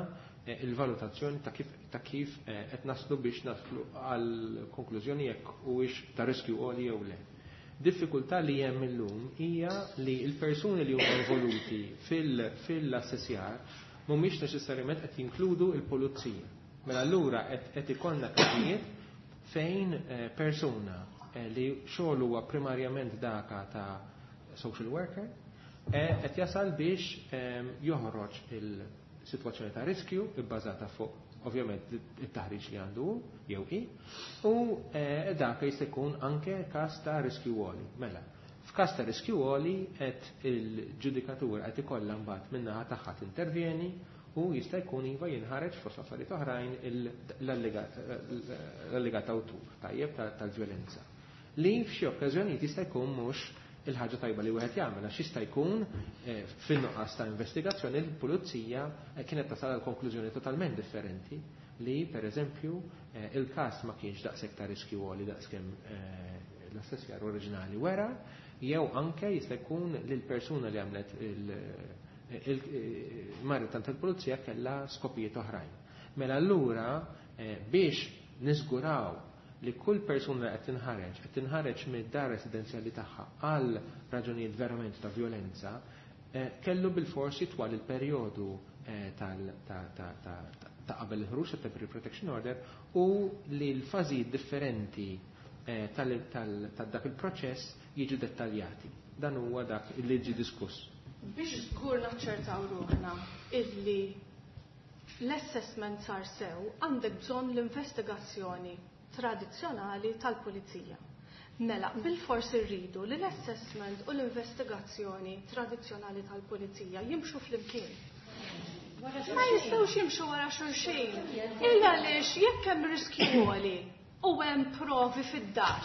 il-valutazzjoni ta' kif ta' kif qed naslu biex naslu għal konklużjoni jekk huwiex ta' riskju għoli jew le. Diffikultà li hemm illum hija li l-persuni li huma involuti fil-assessjar mhumiex neċessarjament qed jinkludu l-pulizija. Mela allura qed ikollna każijiet fejn persuna li xogħol huwa primarjament daka ta' social worker qed jasal biex joħroġ il-sitwazzjoni ta' riskju bbażata fuq ovvjament it-taħriġ li għandu jew hi, u dak jista' jkun anke każ ta' riskju għoli. Mela, f'każ ta' riskju għoli qed il-ġudikatura qed ikollha mbagħad min-naħa tagħha tintervjeni u jista' jkun iva jinħareġ fost affarijiet oħrajn l-allegat awtur tajjeb tal-vjolenza. Li f'xi okkażjonijiet jista' jkun mhux il-ħaġa tajba li wieħed jagħmel għax jista' jkun fin-nuqqas ta' investigazzjoni l-pulizija kienet tasal għal konklużjoni totalment differenti li pereżempju il-każ ma kienx daqshekk ta' riskju għoli daqskemm l-assessjar oriġinali wera, jew anke jista' jkun li l-persuna li għamlet il-marret tant il-pulizija kellha skopijiet oħrajn. Mela allura biex niżguraw li kull persuna li qed tinħareġ, qed tinħareġ mid-dar residenzjali tagħha għal raġunijiet verament ta' violenza, kellu bil-forsi twal il-perjodu ta' qabel il-ħruġ ta' Temporary Protection Order u li l-fażijiet differenti ta' dak il-proċess jiġu dettaljati. Dan huwa dak li ġi diskuss. Biex żgur naċċertaw ruħna illi l-assessment sar sew, għandek bżonn l-investigazzjoni tradizzjonali tal-pulizija. Mela, bil-fors irridu li l-assessment u l-investigazzjoni tradizzjonali tal-pulizija jimxu flimkien. Ma jistgħux jimxu wara xulxin. Illa għaliex jekk hemm riskju għoli u hemm provi fid-dar.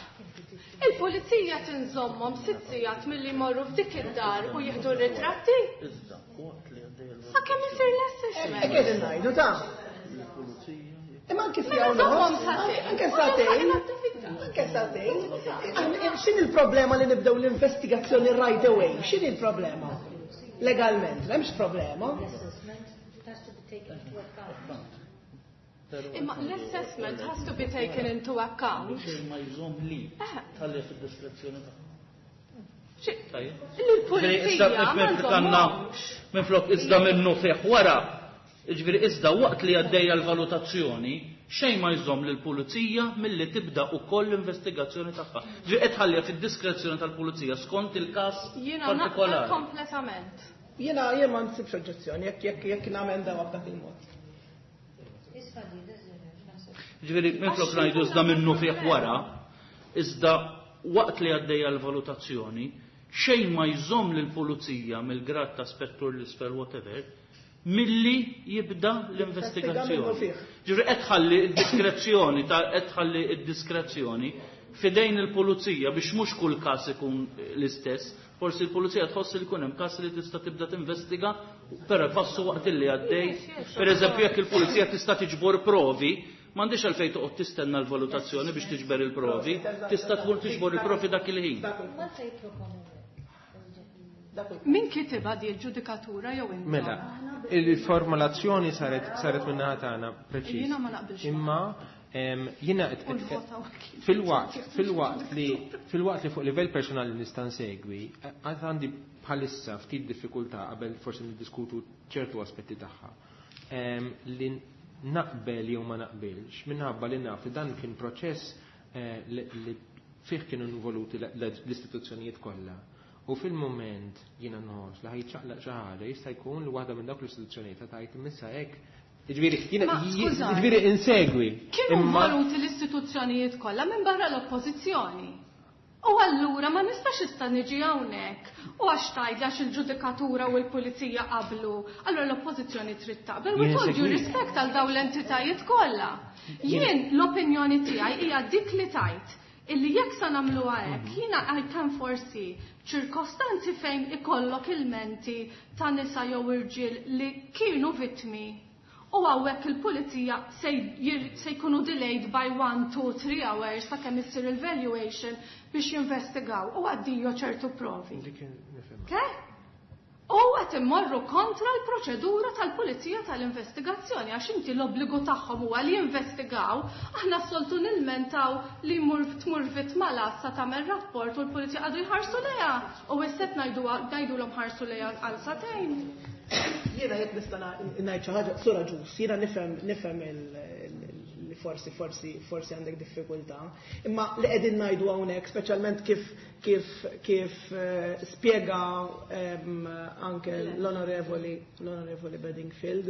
Il-pulizija tinżommhom sitt sigħat milli jmorru f'dik id-dar u jieħdu r-ritratti. Sakemm isir l-assessment. Hekk qegħdin ngħidu ta'. Imma anke siegħa u nofs, anke sagħtejn, anke sagħtejn. X'inhi l-problema li nibdew l-investigazzjoni right away? X'inhi l-problema? Legalment, m'hemmx problema. Imma l-assessment has to be taken into account. Xejn ma jżomm li tħalli fid-diskrezzjoni tagħha. Il-pulizija ma jżommhomx. Minflok iżda minnu fih wara, jiġifieri iżda waqt li għaddejja l-valutazzjoni, xejn ma jżomm lill-pulizija milli tibda wkoll l-investigazzjoni tagħha. Ġifieri qed tħalliha fid-diskrezzjoni tal-pulizija skont il-każ Jiena naqbel partikolari. kompletament. Jiena jien ma nsibx oġġezzjoni jekk jekk jekk namendaw b'dak il-mod. Ġifieri minflok ngħidu iżda minnu fih wara, iżda waqt li għaddejja l-valutazzjoni, xejn ma jżomm lill-pulizija mill-grad ta' spettur l-isfel whatever, milli jibda l-investigazzjoni. Ġifieri qed tħalli d-diskrezzjoni ta' qed tħalli d-diskrezzjoni f'idejn il-pulizija biex mhux kull każ ikun l-istess. Forsi l-pulizija tħoss li jkun hemm każ li tista' tibda tinvestiga, però passu waqt li għaddej. Per eżempju, jekk il-pulizija tista' tiġbor provi, m'għandix għalfejn toqgħod tistenna l-valutazzjoni biex tiġber il-provi, tista' tmur tiġbor il-provi dak il-ħin. Min kitibha di l-ġudikatura jew intom? Mela, il-formulazzjoni saret saret min-naħa tagħna preċiż. Jiena ma naqbilx. Imma jiena fil-waqt fil-waqt li fil-waqt li fuq livell personali nista' nsegwi, għad għandi bħalissa ftit diffikultà qabel forsi niddiskutu ċertu aspetti tagħha. Li naqbel jew ma naqbilx minħabba li naf li dan kien proċess li fih kienu involuti l-istituzzjonijiet kollha. U fil-moment jiena nħoss li ħajċaqlaq xi ħaġa jista' jkun li waħda minn dawk l-istituzzjonijiet ta' tgħid imissa hekk. Jiġifieri jiena jiġifieri insegwi. Kienu involuti l-istituzzjonijiet kollha minn barra l-oppożizzjoni. U allura ma nistax issa niġi hawnhekk u għax tgħid għax il-ġudikatura u l-pulizija qablu, allura l-oppożizzjoni trid taqbel. With all due respect għal dawn l-entitajiet kollha. Jien l-opinjoni tiegħi hija dik li tajt illi jekk sa nagħmluha hekk, jiena I can foresee ċirkostanzi fejn ikollok ilmenti ta' nisa jew irġiel li kienu vittmi. U hawnhekk il-pulizija se jkunu delayed by one, two, three hours sakemm issir il-valuation biex jinvestigaw u għaddijo ċertu provi. Okay? U qed immorru kontra l-proċedura tal-pulizija tal-investigazzjoni għax inti l-obbligu tagħhom huwa li jinvestigaw, aħna s-soltu nilmentaw li mur tmur vittma l-għassa tagħmel rapport u l-pulizija għadu jħarsu lejha u issa ngħidulhom ħarsu lejha għal sagħtejn. Jiena jekk nista' ngħid xi ħaġa, sura ġus, jiena nifhem nifhem li forsi forsi forsi għandek diffikultà, imma li qegħdin ngħidu hawnhekk, speċjalment kif kif kif spjega anke l-onorevoli l-onorevoli Bedingfield,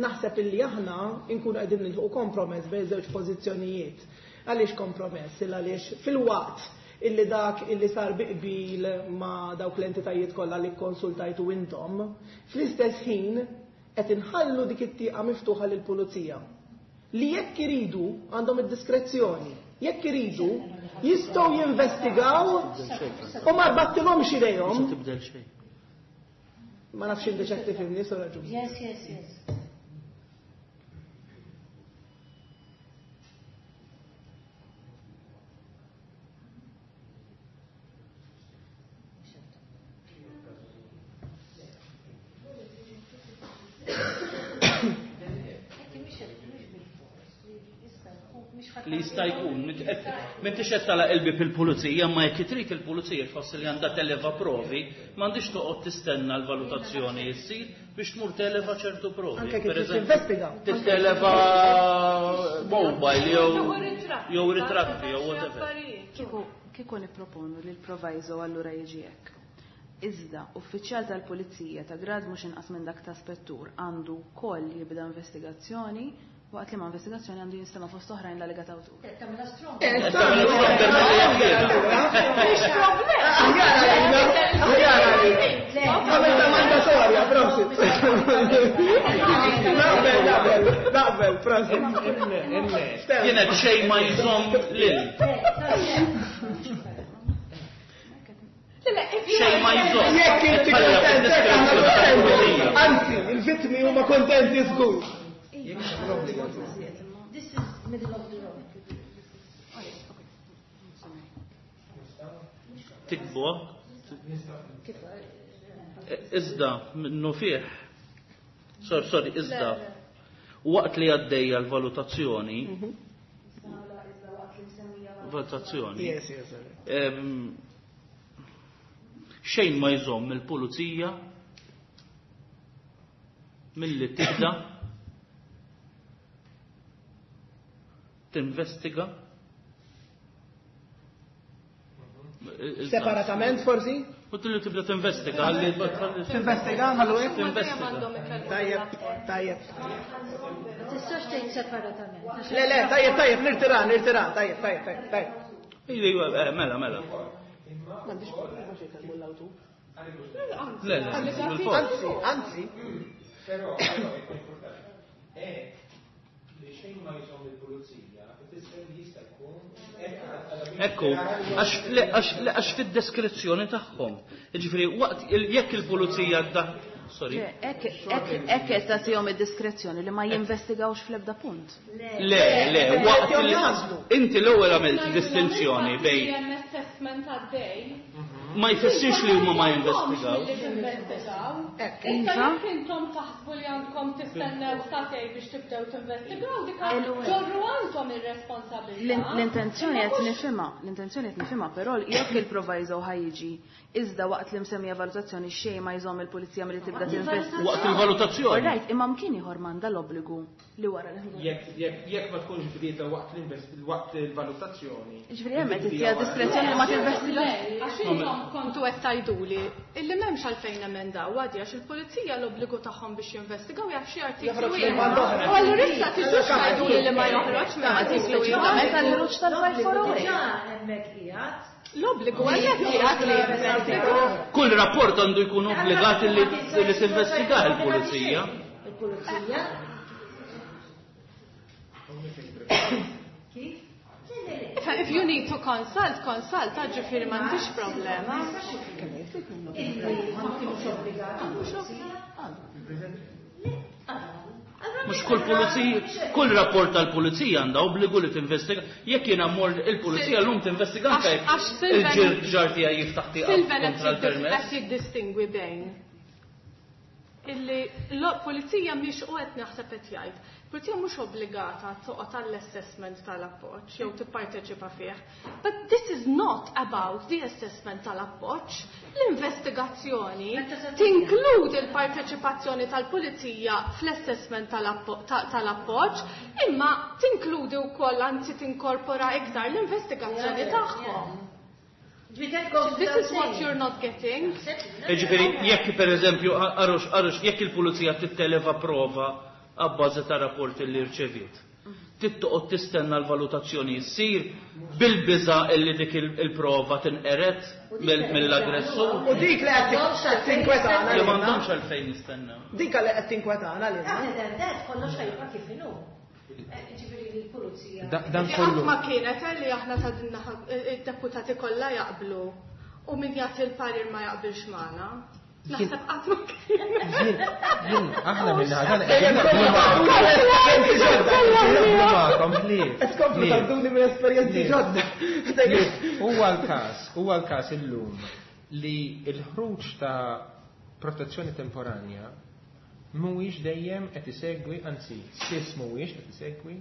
naħseb illi aħna nkunu qegħdin nilħu kompromess bejn żewġ pożizzjonijiet. Għaliex kompromess? Il għaliex fil-waqt illi dak illi sar biqbil ma dawk l-entitajiet kollha li konsultajtu intom, fl-istess ħin qed inħallu dik it-tieqa miftuħa lill-pulizija. Li jekk iridu għandhom id-diskrezzjoni, jekk iridu jistgħu jinvestigaw u ma rbattilhomx idejhom. Ma nafx inti x'qed tifhimni, sora ġust. Yes, yes, yes. Li jista' jkun, m'intix qed tagħlaq il-bieb il-pulizija, ma jekk trid il-pulizija tħoss li għandha televa provi, m'għandix toqgħod tistenna l-valutazzjoni ssir biex tmur televa ċertu provi. Anke kif tinvestiga. Titteleva mobile jew jew ritratti jew whatever. Kieku kieku nipproponu li l-proviso allura jiġi hekk. Iżda uffiċjal tal-pulizija ta' grad mhux inqas minn dak ta' spettur għandu wkoll jibda investigazzjoni waqt li ma' investigazzjoni għandu jinstema' fost oħrajn l-allegat awtur. Tagħmilha strong. Mhix problema. Aħjar Għamilta mandatorja, prosit. Naqbel, naqbel, naqbel, prosit. Jiena xejn ma jżomm lil. Xejn ma jżomm. Jekk inti kontent, aħna kontenti. Anzi, il-vittmi huma kontenti żgur. This is middle of the road. Tikbu. Iżda minnu fih. Sorry, sorry, iżda. Waqt li għaddejja l-valutazzjoni. Valutazzjoni. Yes, yes. Xejn ma jżomm il-pulizija milli tibda tinvestiga separatament forsi? U tilli tibda tinvestiga ħalli tinvestiga ħallu hekk? Tinvestiga. Tajjeb, tajjeb. Ma tistax tgħid separatament. Le, le, tajjeb, tajjeb, nirtira, nirtira, tajjeb, tajjeb, tajjeb, tajjeb. Iva, mela, mela. M'għandix problema xi jkellmu l-awtur. Le, le, anzi, anzi. Però, è li xejn ma jżomm il-pulizija, ifisser li jista' jkun. Ekku, għax fid-deskrizzjoni tagħhom. Jiġifieri waqt jekk il-pulizija da sorry. Hekk qed tagħtihom id-diskrezzjoni li ma jinvestigawx fl-ebda punt. Le, le, waqt inti l-ewwel għamilt distinzjoni bejn assessment għaddej. Ma jfissirx li huma ma jinvestigaw. Issa jekk intom taħsbu li għandkom tistennew satej biex tibdew tinvestigaw, dik ġorru għandhom ir-responsabilità. L-intenzjoni qed nifhimha, l-intenzjoni qed nifhimha, però jekk il-proviso ħajjiġi iżda waqt li msemmija valutazzjoni xejn ma jżomm il-pulizija milli tibda tinvestiga. Waqt il-valutazzjoni. Right, imma mkien ieħor m'għandha l-obbligu li wara l Jekk jekk ma tkunx bdieta waqt waqt il-valutazzjoni. Ġifieri hemm qed tittiha diskrezzjoni li ma tinvestigax. Għax intom kontu qed tgħiduli illi m'hemmx għalfejn emendaw għadi għax il-pulizija l-obbligu tagħhom biex jinvestigaw jaf xi artiklu ieħor. U allura issa tiġux tgħiduli li ma joħroġ minn artiklu ieħor. Speċifikament għall-ħruġ tal-five four oh eight. Hemmhekk qiegħed. L-obbligu għalhekk qiegħed li jinvestigaw. Kull rapport għandu jkun obbligat li tinvestiga l-pulizija. Il-pulizija. Kif? If you need to consult, consult, ġifieri m'għandix problema. Mhux kull pulizija, kull rapport tal-pulizija għandha obbligu li tinvestiga. Jekk jiena mmor il-pulizija llum tinvestiga anke il-ġar tiegħi jiftaħ tieqa kontra l-permess. Qed jiddistingwi bejn illi l-pulizija mhix u qed naħseb qed jgħid. Pulizija mhux obbligata toqgħod għall-assessment tal-appoġġ jew tipparteċipa fih. But this is not about the assessment tal-appoġġ. L-investigazzjoni tinkludi l-parteċipazzjoni tal-pulizija fl-assessment tal-appoġġ, imma tinkludi wkoll anzi tinkorpora iktar l-investigazzjoni tagħhom. This is what you're not getting. Ġifieri, jekk per eżempju, arux, arux, jekk il-pulizija titteleva prova għabbażi ta' rapport li rċeviet, tittoqgħod tistenna l-valutazzjoni ssir bil-biża' illi dik il-prova tinqeret mill-aggressur. U dik li qed tinkwetana. Li m'għandhomx għalfejn jistennew. Dik li qed tinkwetana lilna. Kollox ħajbqa' kif inhu. Ġifieri l-pulizija. Dan kollu. Ma kienet li aħna ta' dinna id-deputati kollha jaqblu u min jagħti l-parir ma jaqbilx magħna. Naħseb qatt ma kien. Jien aħna minn ħadan qed tkomplu tgħadduni minn esperjenzi ġodda. Huwa l-każ, huwa l-każ illum li l-ħruġ ta' protezzjoni temporanja mhuwiex dejjem qed isegwi, anzi spiss mhuwiex qed isegwi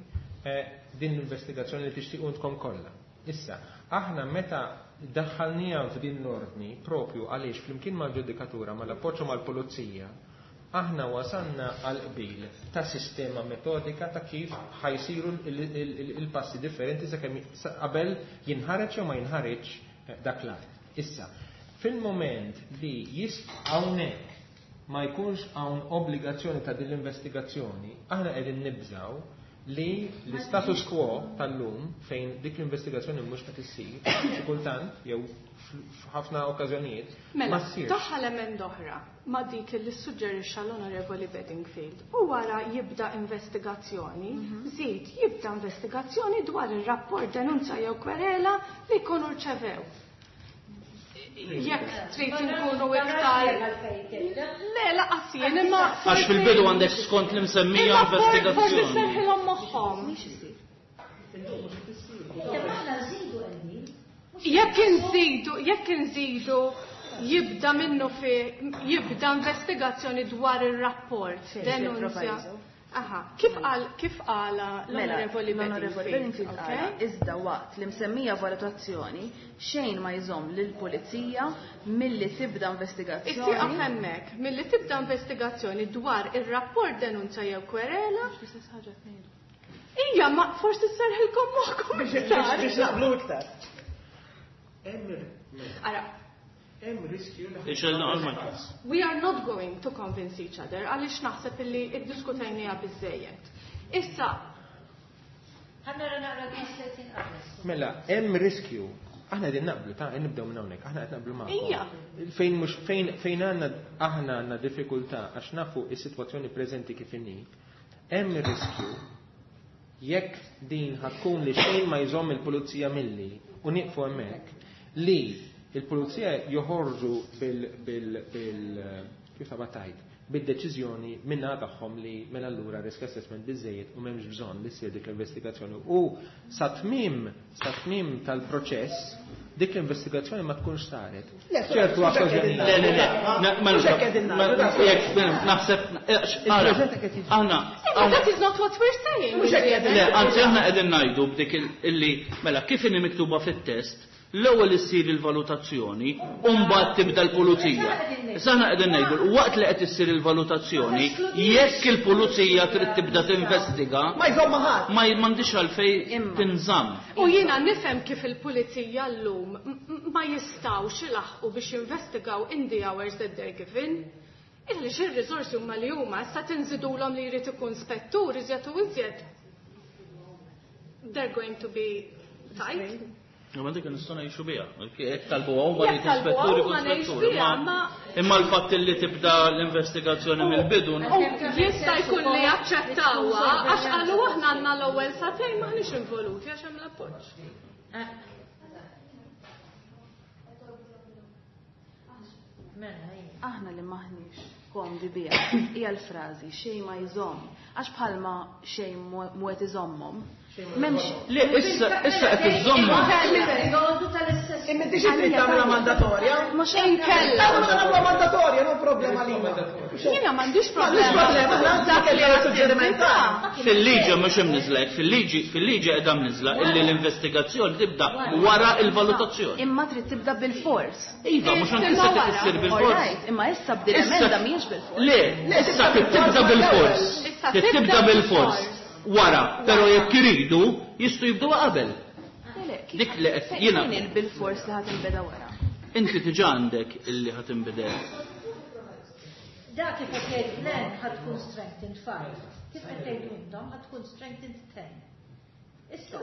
din l-investigazzjoni li tixtiequ intkom kollha. Issa, aħna meta daħħalniha f'din l-ordni propju għaliex flimkien mal-ġudikatura, mal-appoġġ u mal-pulizija, aħna wasanna għal qbil ta' sistema metodika ta' kif ħajsiru il-passi differenti sakemm qabel jinħareġ jew ma jinħareġ dak l-att. Issa, fil-moment li jist hawnhekk ma jkunx hawn obbligazzjoni ta' din l-investigazzjoni, aħna qegħdin nibżaw li l-status quo tal-lum fejn dik l-investigazzjoni mhux qed issir, xi kultant jew f'ħafna okkażjonijiet ma ssirx. Mela, daħħal emenda oħra ma dik li ssuġġerixxa l-Onorevoli Bedingfield u wara jibda investigazzjoni, żid jibda investigazzjoni dwar ir-rapport denunzja jew kwerela li jkunu rċevew. Jekk trid inkunu iktar. Le, laqas jien, imma. Għax fil-bidu għandek skont l-imsemmija Imma for- forsi investigazzjoni. serħilhom moħħhom. Aħna nżidu qegħdin. Jekk inżidu, jekk inżidu jibda minnu fi jibda investigazzjoni dwar ir-rapport, denunzja. Proviso. Aha, kif qal kif qala Mela, l-Onorevoli l-Onorevoli Bedingfield, Bedingfield okay? qala, iżda waqt li msemmija valutazzjoni xejn ma jżomm lill-pulizija milli tibda Ittieqaf investigazzjoni. hemmhekk milli tibda investigazzjoni dwar ir-rapport denunzja jew kwerela. Ija, ma forsi serħilkom moħħkom Biex iktar. biex naqblu iktar. Hemm Ara, hemm riskju li Ixelna għal we are not going to convince each other għaliex naħseb illi iddiskutejniha biżejjed. Issa, Ħa nara naqra tletin qabel. Mela, hemm riskju. Aħna qegħdin naqblu, ta' nibdew minn hawnhekk, aħna qed naqblu magħkom. Ija. Fejn mhux fejn fejn għandna aħna għandna diffikultà għax nafu is-sitwazzjoni preżenti kif inhi, hemm riskju jekk din ħatkun li xejn ma jżomm il-pulizija milli u nieqfu hemmhekk li il-pulizija joħorġu bil bil bil kif ta' tajt bid-deċiżjoni minna tagħhom li mela allura risk assessment biżejjed u m'hemmx bżonn li ssir dik l-investigazzjoni. U sa tmiem sa tmiem tal-proċess dik l-investigazzjoni ma tkunx saret. Le, ċertu mhux hekk okkażjonijiet. Le, le, le. Na- ma- Mhux hekk qegħdin ma- ngħidu, da. jekk, naħseb, ara, aħna, imma that is not what we're saying. Mhux hekk qegħdin Le, anzi aħna qegħdin ngħidu b'dik il- illi mela kif inhi miktuba fit-test, l-ewwel issir il-valutazzjoni u mbagħad tibda l-pulizija. Issa aħna qegħdin ngħidu waqt li qed issir il-valutazzjoni, jekk il-pulizija trid tibda tinvestiga, Ma jżomm ħadd. ma m'għandix għalfejn Imma. tinżamm. U jiena nifhem kif il-pulizija llum m- m- ma jistgħux ilaħqu biex jinvestigaw in the hours that they're given. Illi xir-riżorsi huma li huma issa tinżidulhom li jrid ikun spettur iżjed u iżjed. They're going to be tight. Ma dik nistgħu ngħixu biha. Jekk talbu huma li Jekk talbuha ispetturi huma kun ngħix spetturi. biha, Imma ma- imma l-fatt li tibda l-investigazzjoni mill-bidu U jista' jkun li jaċċettawha għax qalu aħna għandna l-ewwel sagħtejn m'aħniex involuti għax hemm l-appoġġ. Mela, ija. Aħna li maħniex komdi biha hija l-frażi xejn ma jżomm għax bħalma xejn mu qed iżommhom. M'hemmx Le, issa issa qed iżommu. Il-periodu tal-istess. Imma inti xi trid tagħmilha mandatorja? Mhux Inkella. Tagħmilha nagħmluha mandatorja, no problema lina. Jiena m'għandix M'għandix problema. problema, aħna dak li għal suġġeriment tagħna. Fil-liġi mhux imniżla hekk, fil-liġi fil-liġi qiegħda mniżla illi l-investigazzjoni tibda wara il-valutazzjoni. Imma trid tibda bil-fors. Iva, mhux anke Imma se wara. issir bil-fors. Alright, imma issa b'din emenda mhijiex bil-fors. Le, issa tibda bil-fors. Issa Tibda tibda bil-fors. bil-fors. Wara, però jekk iridu jistgħu jibdew qabel. Le, le, kif- Dik li qed fejn jiena- il-bil-fors li ħadd inbeda wara. Inti diġà għandek illi ħa tinbidel. Da kif qed jgħid Glenn ħa tkun strengthened five. Kif qed tgħidu intom ħa tkun strengthened ten. Issa,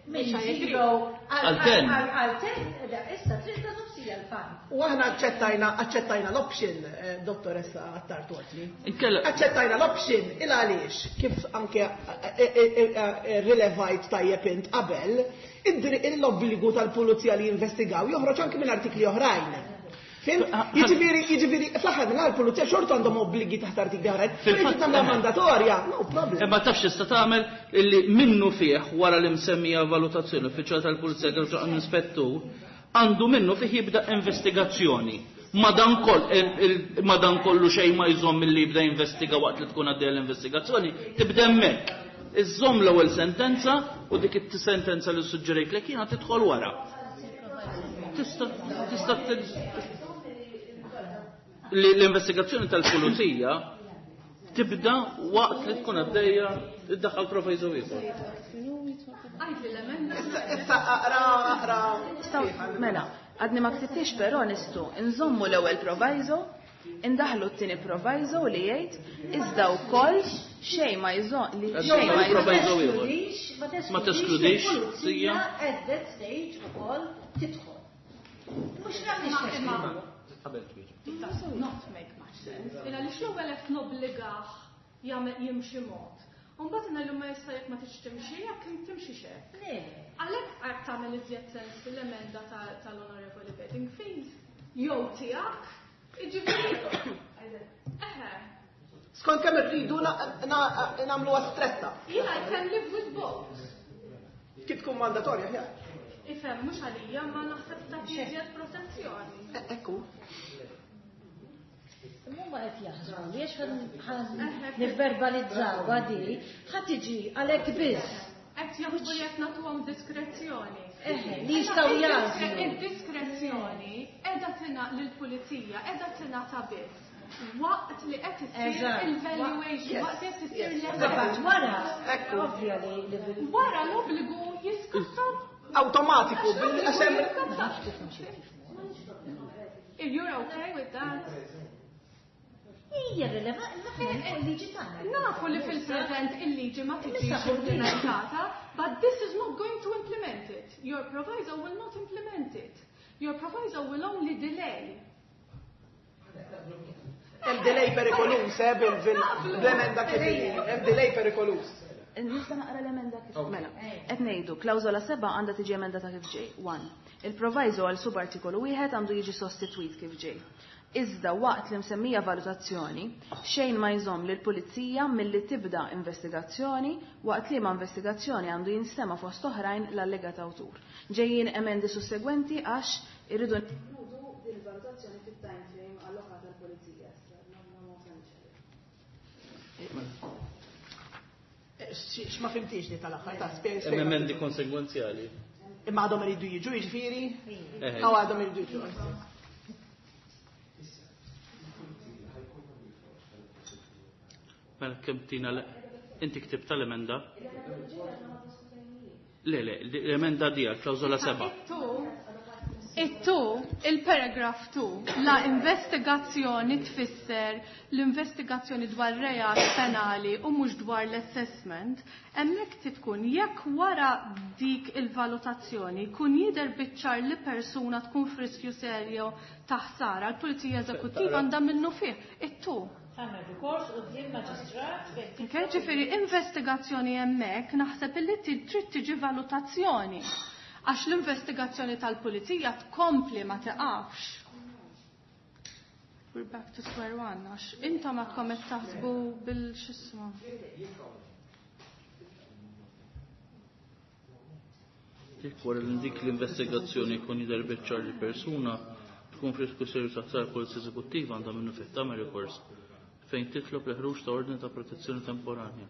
minn Mhux ħajjegri. zero Għal ten. Għal ten, da, issa trid ta' nofsija l-five. U aħna aċċettajna aċċettajna l-option, eh, dottoressa Attard Watli. Inkella Aċċettajna l-option il għaliex kif anke eh, eh, eh, rilevajt tajjeb int qabel, id-dri- l-obbligu tal-pulizija li jinvestigaw joħroġ anke minn artikli oħrajn. Fhimt? Jiġifieri, jiġifieri, fl-aħħar mill pulizija xorta għandhom obbligi taħt artikli oħrajn. Fil-fatt- Fil-fatt tagħmilha mandatorja, no problem. Imma tafx tista' tagħmel illi minnu fih wara l-imsemmija valutazzjoni uffiċjal tal-Pulizija kif ġo inspettur għandu minnu fih jibda investigazzjoni. Madan kollu xejn ma jżomm milli jibda investiga waqt li tkun għaddejja l-investigazzjoni, tibda hemmhekk. Iżżomm l-ewwel sentenza u dik it-sentenza li suġġerejt lek jiena tidħol wara. Tista' tista' li l-investigazzjoni tal-pulizija tibda waqt li tkun għaddejja iddaħħal proviso ieħor. Għajt l-emenda. Issa issa aqra aqra. Nistgħu- Mela, għadni ma ktibtix però nistgħu nżommu l-ewwel proviso, indaħlu t-tieni proviso li jgħid iżda wkoll xejn ma jżomm li xejn ma jżomm. Proviso ieħor. Ma Ma teskludix, il-pulizija sija. at that stage ukoll tidħol. Mhux nagħmlix teskludi. Qabel twieġeb. It does not make much sense. Illa li l-ewwel qed nobbligah jagħmel jimxi mod. U mbagħad ngħidlu ma jista' jekk ma tridx timxi jekk timxi xek. Le, Għalhekk qed tagħmel iżjed sens l-emenda ta- tal-Onorevoli Bedingfield. Jew tiegħek, jiġifieri. Eħe. Skont kemm irridu nagħmluha stretta. Jiena I can live with both. Kif tkun mandatorja aħjar. Ifhem, mhux għalija, ma naħseb ta' iżjed protezzjoni. Ekku. Huma qed jaħsbu li għax nivverbalizzaw għadi, ħa tiġi għalhekk biss. Qed jaħsbu li qed nagħtuhom diskrezzjoni. Eħe, li jistgħu jagħżlu. Id-diskrezzjoni qiegħda tingħata lill-pulizija, qiegħda tingħata biss waqt li qed issir il-valuation, waqt li qed issir l Wara, ovvja li wara l-obbligu jiskatta awtomatiku bil-għax hemm If you're okay with that. Hija rilevanti il-liġi tagħna. Nafu li fil-preżent il-liġi ma tiġix implementata, but this is not going to implement it. Your proviso will not implement it. Your proviso will only delay. Hemm delay perikolus, eh, bil-emenda kif hemm delay perikolus. Nista' naqra l-emenda kif mela. Qed ngħidu klawżola seba' għandha tiġi emendata kif ġej. One. Il-proviso għal subartikolu wieħed għandu jiġi sostitwit kif ġej. Iżda waqt li msemmija valutazzjoni, xejn ma jżomm lil pulizija milli tibda investigazzjoni waqt li ma investigazzjoni għandu jinstema fost oħrajn l-allegat awtur. Ġejjin emendi sussegwenti għax irridu ninkludu din il-valutazzjoni fit-time frame allokata għall-pulizija. X'ma fimtix li tal-aħħar ta' spjega. Hemm emendi konsegwenzjali. Imma għadhom iridu jiġu jiġifieri? Aw għadhom iridu jiġu. Mela kemm tina inti ktibt tal-emenda? Le, le, l-emenda di għal-klawżola seba'. It-tu, il-paragraph two, la investigazzjoni tfisser l-investigazzjoni dwar reat penali u mhux dwar l-assessment, hemmhekk tkun jekk wara dik il-valutazzjoni kun jidher biċ-ċar li persuna tkun f'riskju serju ta' ħsara, l-Pulizija Eżekuttiva għandha minnu fih. It-tu. Tagħmel rikors quddiem maġistrat fejn Okay, ġifieri investigazzjoni hemmhekk naħseb illi trid tiġi valutazzjoni. Għax l-investigazzjoni tal-pulizija tkompli ma tiqafx. We're back to square one, għax intom għadkom qed taħsbu bil-xisma. Jekk wara li dik l-investigazzjoni jkun jidher biċ-ċar li persuna tkun f'riskju serju ta' ħsara l-Pulizija Eżekuttiva għandha minnu fih tagħmel rikors fejn titlob l-ħruġ ta' ordni ta' protezzjoni temporanja,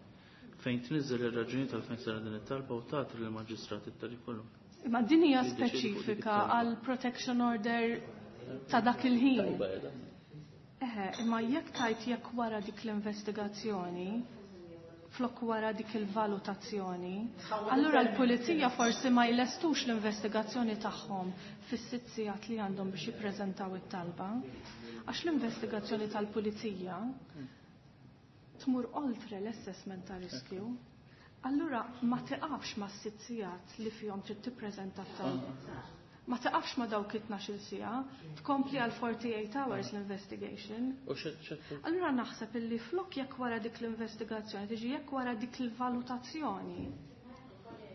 fejn tniżżel ir-raġuni tal-fejn sara din it-talba u tagħti lill-maġistrat it-tali kollu. Imma din hija speċifika għal protection order ta' dak il-ħin. Eħe, imma jekk tajt jekk wara dik l-investigazzjoni, flok wara dik il-valutazzjoni, allura l-pulizija forsi ma jlestux l-investigazzjoni tagħhom fis-sitt sigħat li għandhom biex jippreżentaw it-talba. Għax l-investigazzjoni tal-pulizija tmur oltre l-assessment ta' riskju. Allura ma tiqafx ma' sitt sigħat li fihom trid tippreżenta t-talba. Ma tiqafx ma' dawk it-tnax-il siegħa, tkompli għal forty-eight hours l-investigation. U xed- xed- Allura naħseb illi flok jekk wara dik l-investigazzjoni, tiġi jekk wara dik il-valutazzjoni.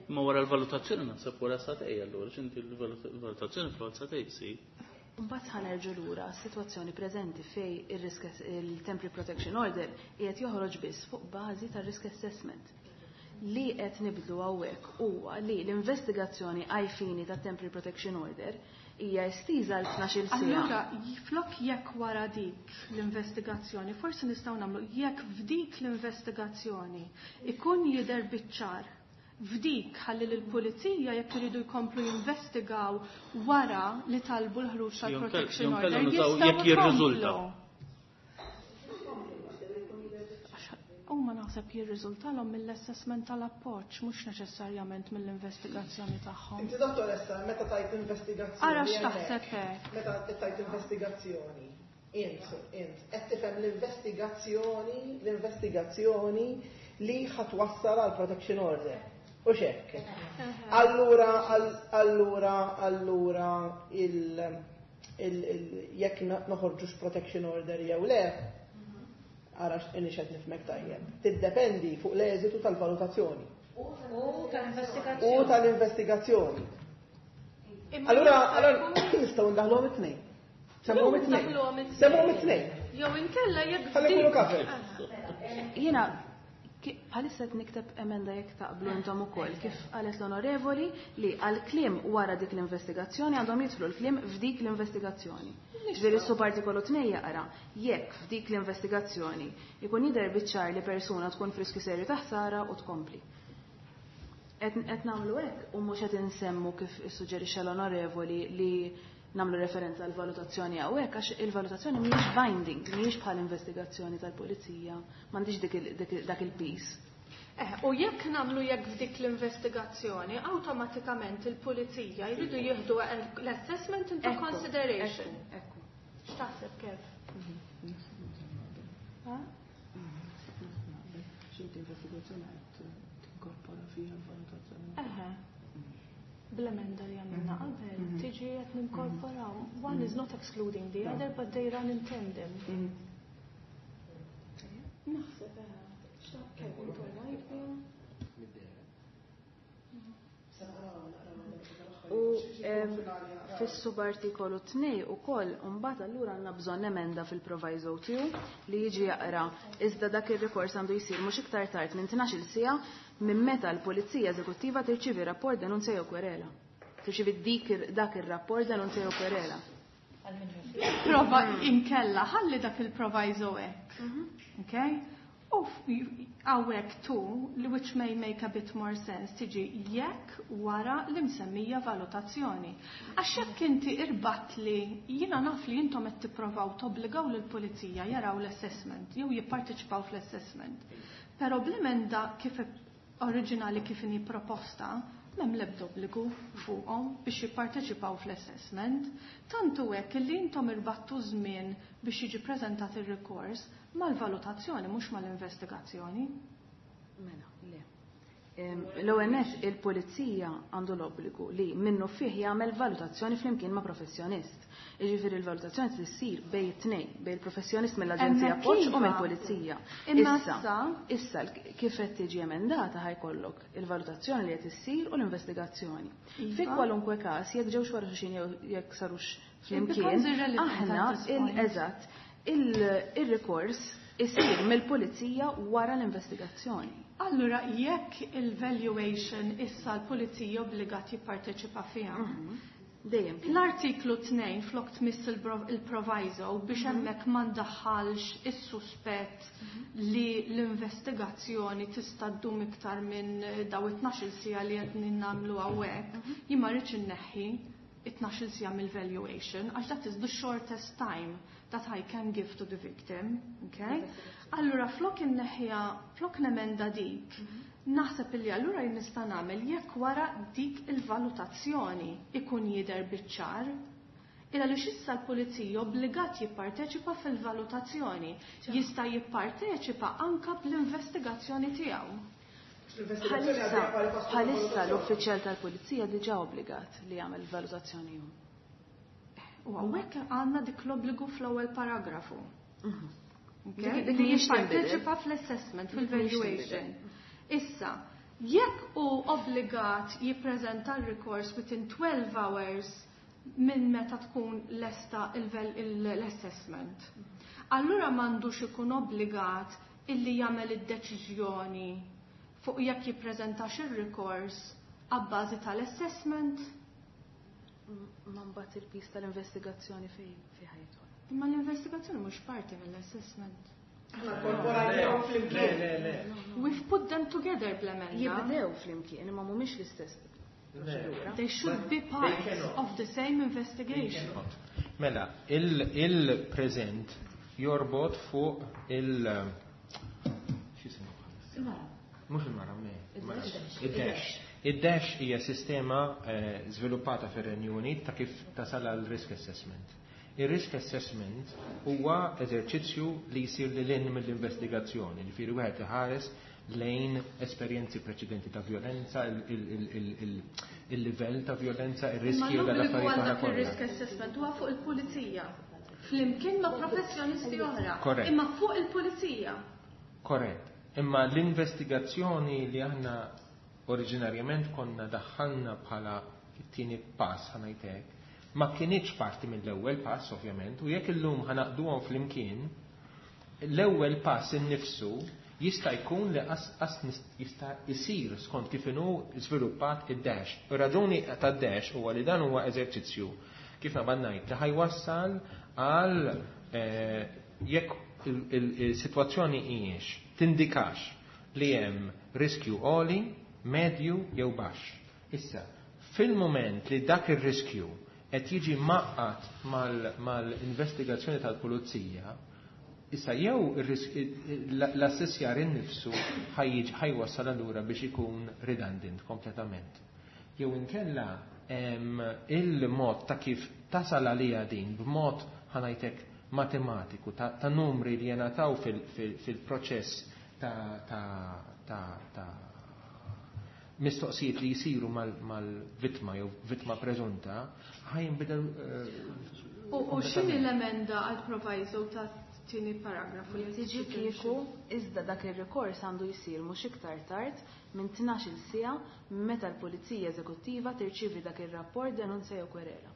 Ma wara l-valutazzjoni naħseb wara satej allura, x'inti l-valutazzjoni fl-għal satej si. Mbagħad ħanerġu lura s-sitwazzjoni preżenti fej il-risk il-Temporary Protection Order qiegħed joħroġ biss fuq bażi tar-risk assessment. Li qed nibdlu hawnhekk huwa li l-investigazzjoni ai fini ta' Temporary Protection Order hija estiża għal tnax-il siegħa. Allura, flok jekk wara dik l-investigazzjoni, forsi nistgħu nagħmlu jekk f'dik l-investigazzjoni ikun jidher biċ-ċar f'dik ħalli lill-pulizija jekk iridu jkomplu jinvestigaw wara li talbu l-ħruġ tal-protection Jew order, kellhom nużaw jistgħu jekk jirriżulta. jkomplu. Huma naħseb jirriżultalhom mill-assessment tal-appoġġ, mhux neċessarjament mill-investigazzjoni tagħhom. Inti dottoressa, meta tajt investigazzjoni. Ara x'taħseb hekk. Meta tajt investigazzjoni, int, int, qed tifhem l-investigazzjoni, l-investigazzjoni li ħatwassal għal protection order. U x'hekk. Allura, all-, allura, allura, il, il, il, jekk noħorġux protection order jew le, ara inni xed nifmek tajjeb. Tiddependi fuq l-eżitu tal-valutazzjoni. U tal-investigazzjoni. U tal-investigazzjoni. Imma Allura, jista' allura jkun nistgħu ndaħluhom it-tnejn. Semmuhom it-tnejn. Semmuhom it-tnejn. Jew inkella jekk Ħalli jkunu covered. Jiena bħalissa qed nikteb emenda jekk taqblu intom ukoll kif qalet l-onorevoli li għal kliem wara dik l-investigazzjoni għandhom jidħlu l-kliem f'dik l-investigazzjoni. Ġifieri s-subartikolu tnejn jaqra jekk f'dik l-investigazzjoni ikun jidher biċ-ċar li persuna tkun f'riskju serju ta' ħsara u tkompli. Qed nagħmlu hekk u mhux qed insemmu kif issuġġerixxa l-onorevoli li nagħmlu referenza għal valutazzjoni hawnhekk għax il-valutazzjoni mhijiex binding, mhijiex bħal investigazzjoni tal-pulizija, m'għandix dak il-piż. Eh, u jekk nagħmlu jekk f'dik l-investigazzjoni, awtomatikament il-pulizija jridu jieħdu l-assessment into consideration. Ekku. X'taħseb kif? Xinti investigazzjoni qed tinkorpora fiha l-valutazzjoni. Eħe. Bl-emenda li għamilna qabel, tiġi qed ninkorporaw. One is not excluding the other, but they run in tandem. Naħseb eħe. X'taħseb intu right U fis-subartikolu tnejn ukoll imbagħad allura għandna bżonn emenda fil-proviso two li jiġi jaqra iżda dak ir-rikors għandu jsir mhux iktar tard minn tnax-il siegħa minn meta l-Pulizija Eżekuttiva tirċievi rapport denunzja jew kwerela. Tirċievi dik dak ir-rapport denunzja jew kwerela. Prova inkella, ħalli dak il-proviso hekk. Okay? U hawnhekk tu, li which may make a bit more sense, tiġi jekk wara l-imsemmija valutazzjoni. Għax jekk inti irbat li jiena naf li intom qed tipprovaw tobbligaw lill-pulizija jaraw l-assessment jew jipparteċipaw fl-assessment. Però bl-emenda kif oriġinali kif inhi proposta, m'hemm l-ebda obbligu fuqhom biex jipparteċipaw fl-assessment. Tantu hekk li intom irbattu żmien biex jiġi preżentat ir-rikors mal-valutazzjoni mhux mal-investigazzjoni. Mela, le. L-ewwel nett il-pulizija għandu l-obbligu li minnu fih jagħmel valutazzjoni flimkien ma' professjonist. Jiġifieri l-valutazzjoni trid bejn it-tnejn, bejn il-professjonist mill-Aġenzija Appoġġ u mill-Pulizija. Imma Issa, issa kif qed tiġi emendata ħajkollok il-valutazzjoni li qed issir u l-investigazzjoni. Fi kwalunkwe każ jekk ġewx wara xulxin jew jekk sarux flimkien, aħna il-eżatt il-rikors isir mill-pulizija wara l-investigazzjoni. Allura, jekk il-valuation issa l-pulizija obbligat jipparteċipa fiha. Dejjem. L-artiklu tnejn flok tmiss il-proviso biex hemmhekk ma ndaħħalx is-suspett li l-investigazzjoni tista' ddum iktar minn daw it-tnax-il siegħa li qed nagħmlu hawnhekk, jien ma rridx inneħħi it-tnax-il siegħa mill-valuation għax that is the shortest time that I can give to the victim, okay? Allura flok inneħħiha, flok nemenda dik, naħseb illi allura jien nista' nagħmel jekk wara dik il-valutazzjoni ikun jidher biċ-ċar. Illa li issa l-pulizija obbligat jipparteċipa fil-valutazzjoni, jista' jipparteċipa anka bl-investigazzjoni tiegħu. Bħalissa l-uffiċjal tal-pulizija diġà obbligat li jagħmel valutazzjoni hu. U hawnhekk għandna dik l-obbligu fl-ewwel paragrafu. Dik Li mhijiex jipparteċipa fl-assessment, fil-valuation. Issa, jekk hu obbligat jippreżenta r-rikors within twelve hours minn meta tkun lesta l-assessment, allura m'għandux ikun obbligat illi jagħmel id-deċiżjoni fuq jekk jippreżentax ir-rikors abbażi tal-assessment? Ma mbagħad il-piż tal-investigazzjoni fejn fi ħajtu. Imma l-investigazzjoni mhux parti mill-assessment. Le, le, le. We've put them together bl-emenda. Jibdew flimkien, imma mhumiex l-istess proċedura. They should be part of the same investigation. Mela, il-preżent jorbot fuq il- x'jisimhu bħalissa? Mhux il-mara, me. Id-dash. Id-dash hija sistema żviluppata fir-Renju Unit ta' kif tasal għal risk assessment. Il-risk assessment huwa eżerċizzju li jsir lil hinn mill-investigazzjoni, ġifieri wieħed iħares lejn esperjenzi preċedenti ta' violenza, il-livell ta' violenza, ir-riskju Ma tal-affarijiet l-obbligu għal oħra dak kollha. ir-risk assessment huwa fuq il-pulizija. Flimkien ma' professjonisti oħra. Korrett. Imma fuq il-pulizija. Korrett. Imma l-investigazzjoni li aħna oriġinarjament konna daħħalna bħala it-tieni pass, ħanajtek, Ma kinitx parti mill-ewwel pass ovvjament, u jekk illum ħa naqduhom flimkien, l-ewwel pass innifsu jista' jkun li qas jista' jsir skont kif inhu żviluppat id-dash. Ir-raġuni tad-dash huwa li dan huwa eżerċizzju kif nabad ngħid li ħajwassal għal jekk il-sitwazzjoni hijiex tindikax li hemm riskju għoli, medju jew baxx. Issa, fil-moment li dak ir-riskju qed jiġi maqqat mal-investigazzjoni tal-pulizija, issa jew l-assessjar innifsu ħajwassal allura biex ikun redundant kompletament. Jew inkella il-mod ta' kif tasal għalija din b'mod ħanajtek matematiku ta' numri li jenataw fil-proċess ta' mistoqsijiet li jisiru mal-vittma jew vittma preżunta ħajnbidel. U x'inhi l-emenda għal proviso ta' tieni paragrafu li tiġi kieku iżda dak ir-rikors għandu jsir mhux iktar tard minn tnax-il siegħa meta l-Pulizija Eżekuttiva tirċievi dak ir-rapport denunzja jew kwerela.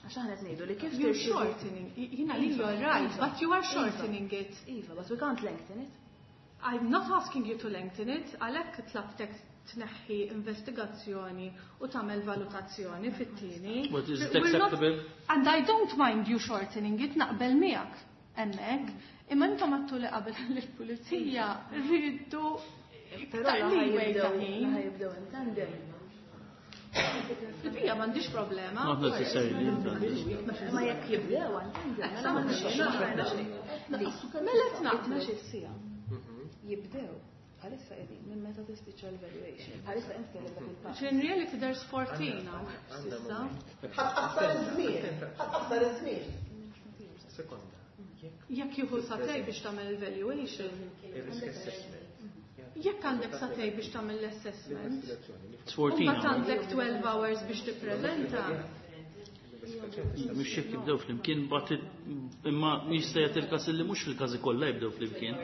Għax aħna qed ngħidu li kif You're shortening. Jiena li you're right, but you are shortening it. Iva, but we can't lengthen it. I'm not asking you to lengthen it, għalhekk tlabtek tneħħi investigazzjoni u tagħmel valutazzjoni fit-tieni. But is it acceptable? And I don't mind you shortening it, naqbel miegħek hemmhekk, imma intom għattu li qabel lill-pulizija rridu iktar leeway ta' ħin. Jibdew in tandem. Il-bija m'għandix problema. Not necessarily. Ma jekk jibdew in tandem, mela m'għandix. Mela tnaqbel. Tnax-il siegħa. Jibdew bħalissa qegħdin minn meta tispiċċa l-evaluation. Bħalissa inti kellek dak il-pass. In reality there's fourteen now. S'issa. Ħa tqassar iż-żmien, ħa tqassar iż-żmien. Sekonda. Jekk jieħu sagħtejn biex tagħmel evaluation. Il-risk assessment. Jekk għandek sagħtejn biex tagħmel l-assessment. It's fourteen U mbagħad għandek twelve hours biex tippreżenta. Mhux jekk jibdew flimkien, but imma jista' jagħti il-każ li mhux fil-każi kollha jibdew flimkien.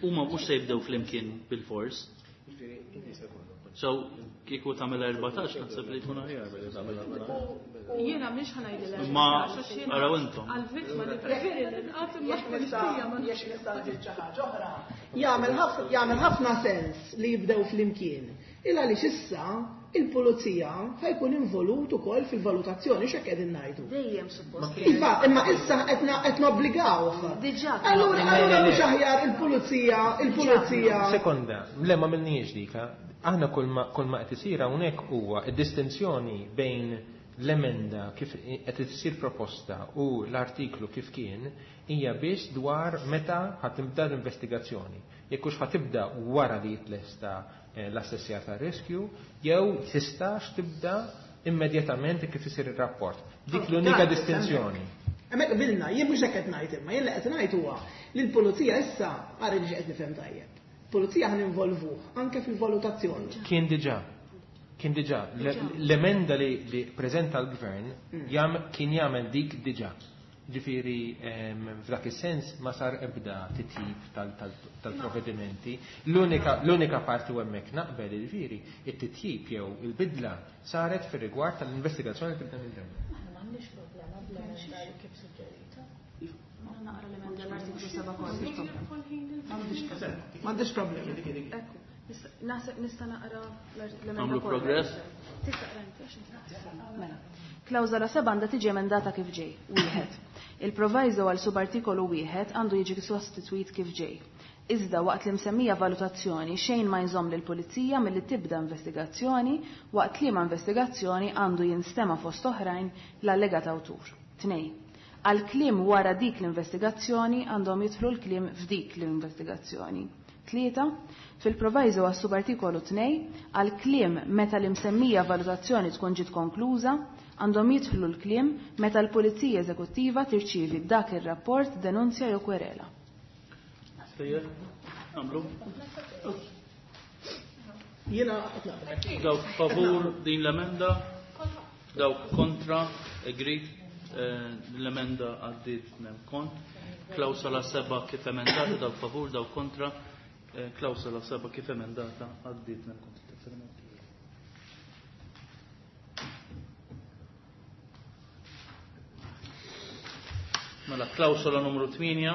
Huma mhux se jibdew flimkien bil-fors. So, kieku tagħmel erbatax, naħseb li jkun aħjar billi tagħmel erbatax. Jiena mhix ħa ngħidilha Imma erbatax, għax jiena araw intom. Għall-vittma nippreferi li nqgħad imma Jekk nista' l-pulizija ma jekk nista' nżid xi ħaġa oħra. Jagħmel ħafna jagħmel ħafna sens li jibdew flimkien. Il għaliex issa il-pulizija ħajkun involut ukoll fil-valutazzjoni x'hekk qegħdin ngħidu. Dejjem suppost. Iva, imma issa qed na- qed nobbligawh. Diġà. Allura allura mhux aħjar il-pulizija, il-pulizija. Sekonda, le ma minniex dika. Aħna kull ma kull ma qed isir hawnhekk huwa id-distinzjoni bejn l-emenda kif qed isir proposta u l-artiklu kif kien hija biss dwar meta ħa tibda l-investigazzjoni. Jekk hux ħa tibda wara li jitlesta l-assessjar ta' riskju, jew tistax tibda immedjatament kif isir ir-rapport. Dik l-unika distinzjoni. Hemmhekk qbilna, jien mhux hekk qed ngħid imma jien li qed ngħid huwa li l-pulizija issa għara li qed nifhem tajjeb. Pulizija ħa ninvolvuh anke fil-valutazzjoni. Kien diġà. Kien diġà. L-emenda li, li preżenta l-gvern jam, kien jagħmel dik diġà. Ġifieri f'dak is-sens ma sar ebda titjib tal-provvedimenti. L-unika l-unika parti u hemmhekk naqbel ġifieri it-titjib jew il-bidla saret fir-rigward tal-investigazzjoni li tibda mill-ewwel. Aħna m'għandniex problema bl-emenda kif suġġerita. Naqra l-emenda l-artiklu seba' kollu. M'għandix problemi. Ekku, naħseb nista' naqra l-emenda Nagħmlu progress? Tista' taqra inti għax inti. Mela. Klawżola seba' għandha tiġi emendata kif ġej. Wieħed. Il-proviso għal subartikolu wieħed għandu jiġi sostitwit kif ġej. Iżda waqt li msemmija valutazzjoni xejn ma jżomm lill-pulizija milli tibda investigazzjoni waqt liema investigazzjoni għandu jinstema' fost oħrajn l-allegat awtur. Tnej. Għal kliem wara dik l-investigazzjoni għandhom jidħlu l-kliem f'dik l-investigazzjoni. Tlieta, fil-proviso għas subartikolu tnej, għal kliem meta l-imsemmija valutazzjoni tkun ġiet konkluża, għandhom jidħlu l-kliem meta l-Pulizija Eżekuttiva tirċievi dak ir-rapport denunzja jew kwerela. Sejjer, għamlu. Jiena qed naqbel. Dawk favur din l-emenda, dawk kontra, agreed, l-emenda għaddiet nem kont. Klawsola seba' kif emendata, dawk favur, dawk kontra, Klawsola seba' kif emendata għaddiet nemkont. Mela, klawsola numru tmienja.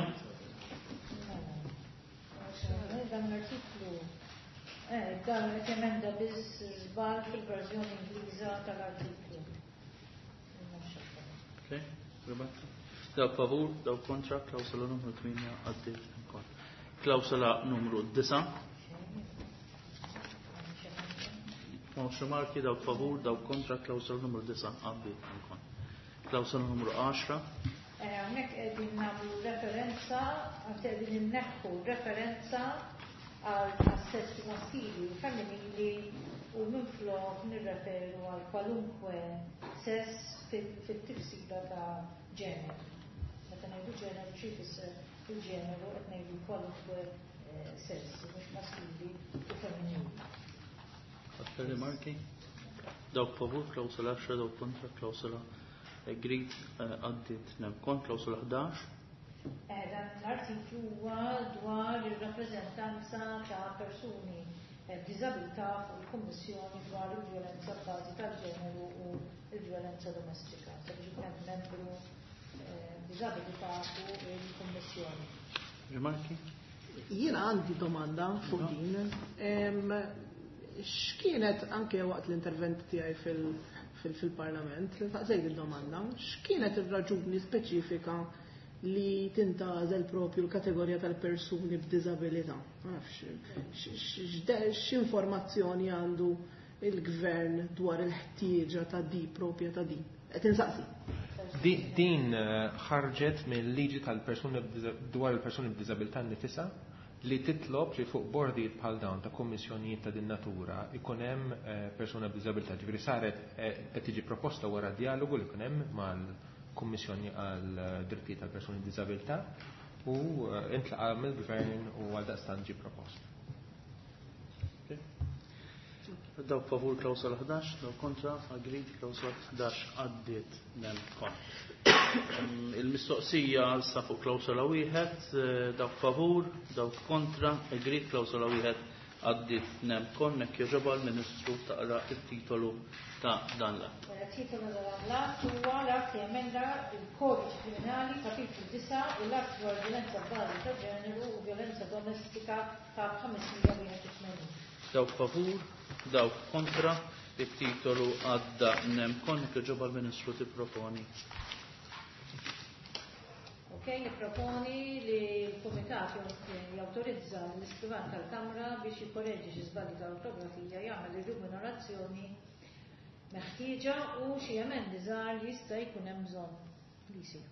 Dan l-artiklu, dan qed emenda biss żball fil-verżjoni Ingliża tal-artiklu. Okay, Roberta. Dawk favur, dawk kontra, klawsola numru tmienja għaddiet ukoll. Klawsola numru disa'. M'hawnx rimarki, dawk favur, dawk kontra, klawsola numru disa' għaddiet ukoll. Klawsola numru għaxra. Hawnhekk qegħdin nagħmlu referenza, anzi qegħdin inneħħu referenza għal sessi maskili u femminili u minflok nirreferu għal kwalunkwe sess fit-tifsira ta' ġeneru. Meta ngħidu ġeneru xi jfisser il-ġeneru qed ngħidu kwalunkwe sess, mhux maskili u femminili. Aktar rimarki? Dawk favur, klawsola għaxra, dawk kontra, klawsola agreed għaddiet nemkont, klawsola ħdax. Dan l-artiklu huwa dwar ir-rappreżentanza ta' persuni b'diżabilità fuq il-Kummissjoni dwar il-vjolenza b'bażi tal-ġeneru u l-vjolenza domestika. Sabiex ikun hemm membru b'diżabilità fuq il-Kummissjoni. Rimarki? Jiena għandi domanda fuq din. X'kienet anke waqt l-intervent tiegħi fil- fil-Parlament, saqsejt il-domanda, x'kienet ir-raġuni speċifika li tintgħażel propju l-kategorija tal-persuni b'diżabilità? Ma nafx, x'informazzjoni għandu il-gvern dwar il-ħtieġa ta' di propja ta' di? Qed insaqsi. Din ħarġet mill-liġi tal-persuni dwar il-persuni b'diżabilità nnifisha li titlob li fuq bordijiet bħal dawn ta' kommissjonijiet ta' din natura ikun hemm persuna b'diżabilità. Ġifieri saret qed tiġi proposta wara dialogu li jkun hemm mal-Kummissjoni għal drittijiet tal-persuni b'diżabilità u intlaqa' mill-gvern u għal daqstant ġie propost. Dawk favur klawsola ħdax, dawk kontra, agreed, klawsola ħdax għaddiet nemkont. Il-mistoqsija sa fuq klawsola wieħed, dawk favur, dawk kontra, agreed, klawsola wieħed għaddiet nemkont. Hekk jogħġobha l-Ministru taqra it-titolu ta' dan l-att. Il-titolu ta' dan l-att huwa l-att li emenda il-Kodiċi Kriminali kapitlu disa' u l-att dwar violenza b'bażi ta' ġeneru u violenza domestika kap ħames mija wieħed u tmenin. Dawk favur, dawk kontra, it-titolu għadda nemkont. Hekk jogħġobha l-Ministru tipproponi. Ok, nipproponi li l-Kumitat jawtorizza l-iskrivan tal-Kamra biex jikkoreġi xi żbalji ta' ortografija, jagħmel ir-remunerazzjoni meħtieġa u xi emendi żgħar li jista' jkun hemm bżonn li jsiru.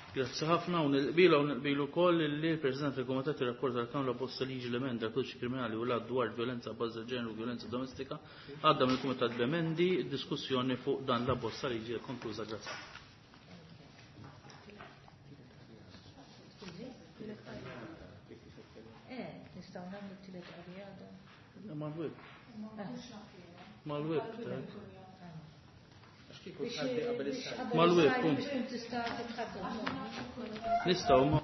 Grazzi ħafna u nilqbilu u nilqbilu wkoll li l-President tal-Kumitat irrapport tal-Kamra bosta liġi l-emenda l-Kodiċi Kriminali u l-att dwar violenza b'bażi ġeneru u violenza domestika għadda mill-Kumitat b'emendi, diskussjoni fuq dan la bosta liġi konkluża. Grazzi. Eh, nistgħu nagħmlu t-tielet qari għadha. Mal-web. Mal-web. Mal-web, punt. Nistgħu ma.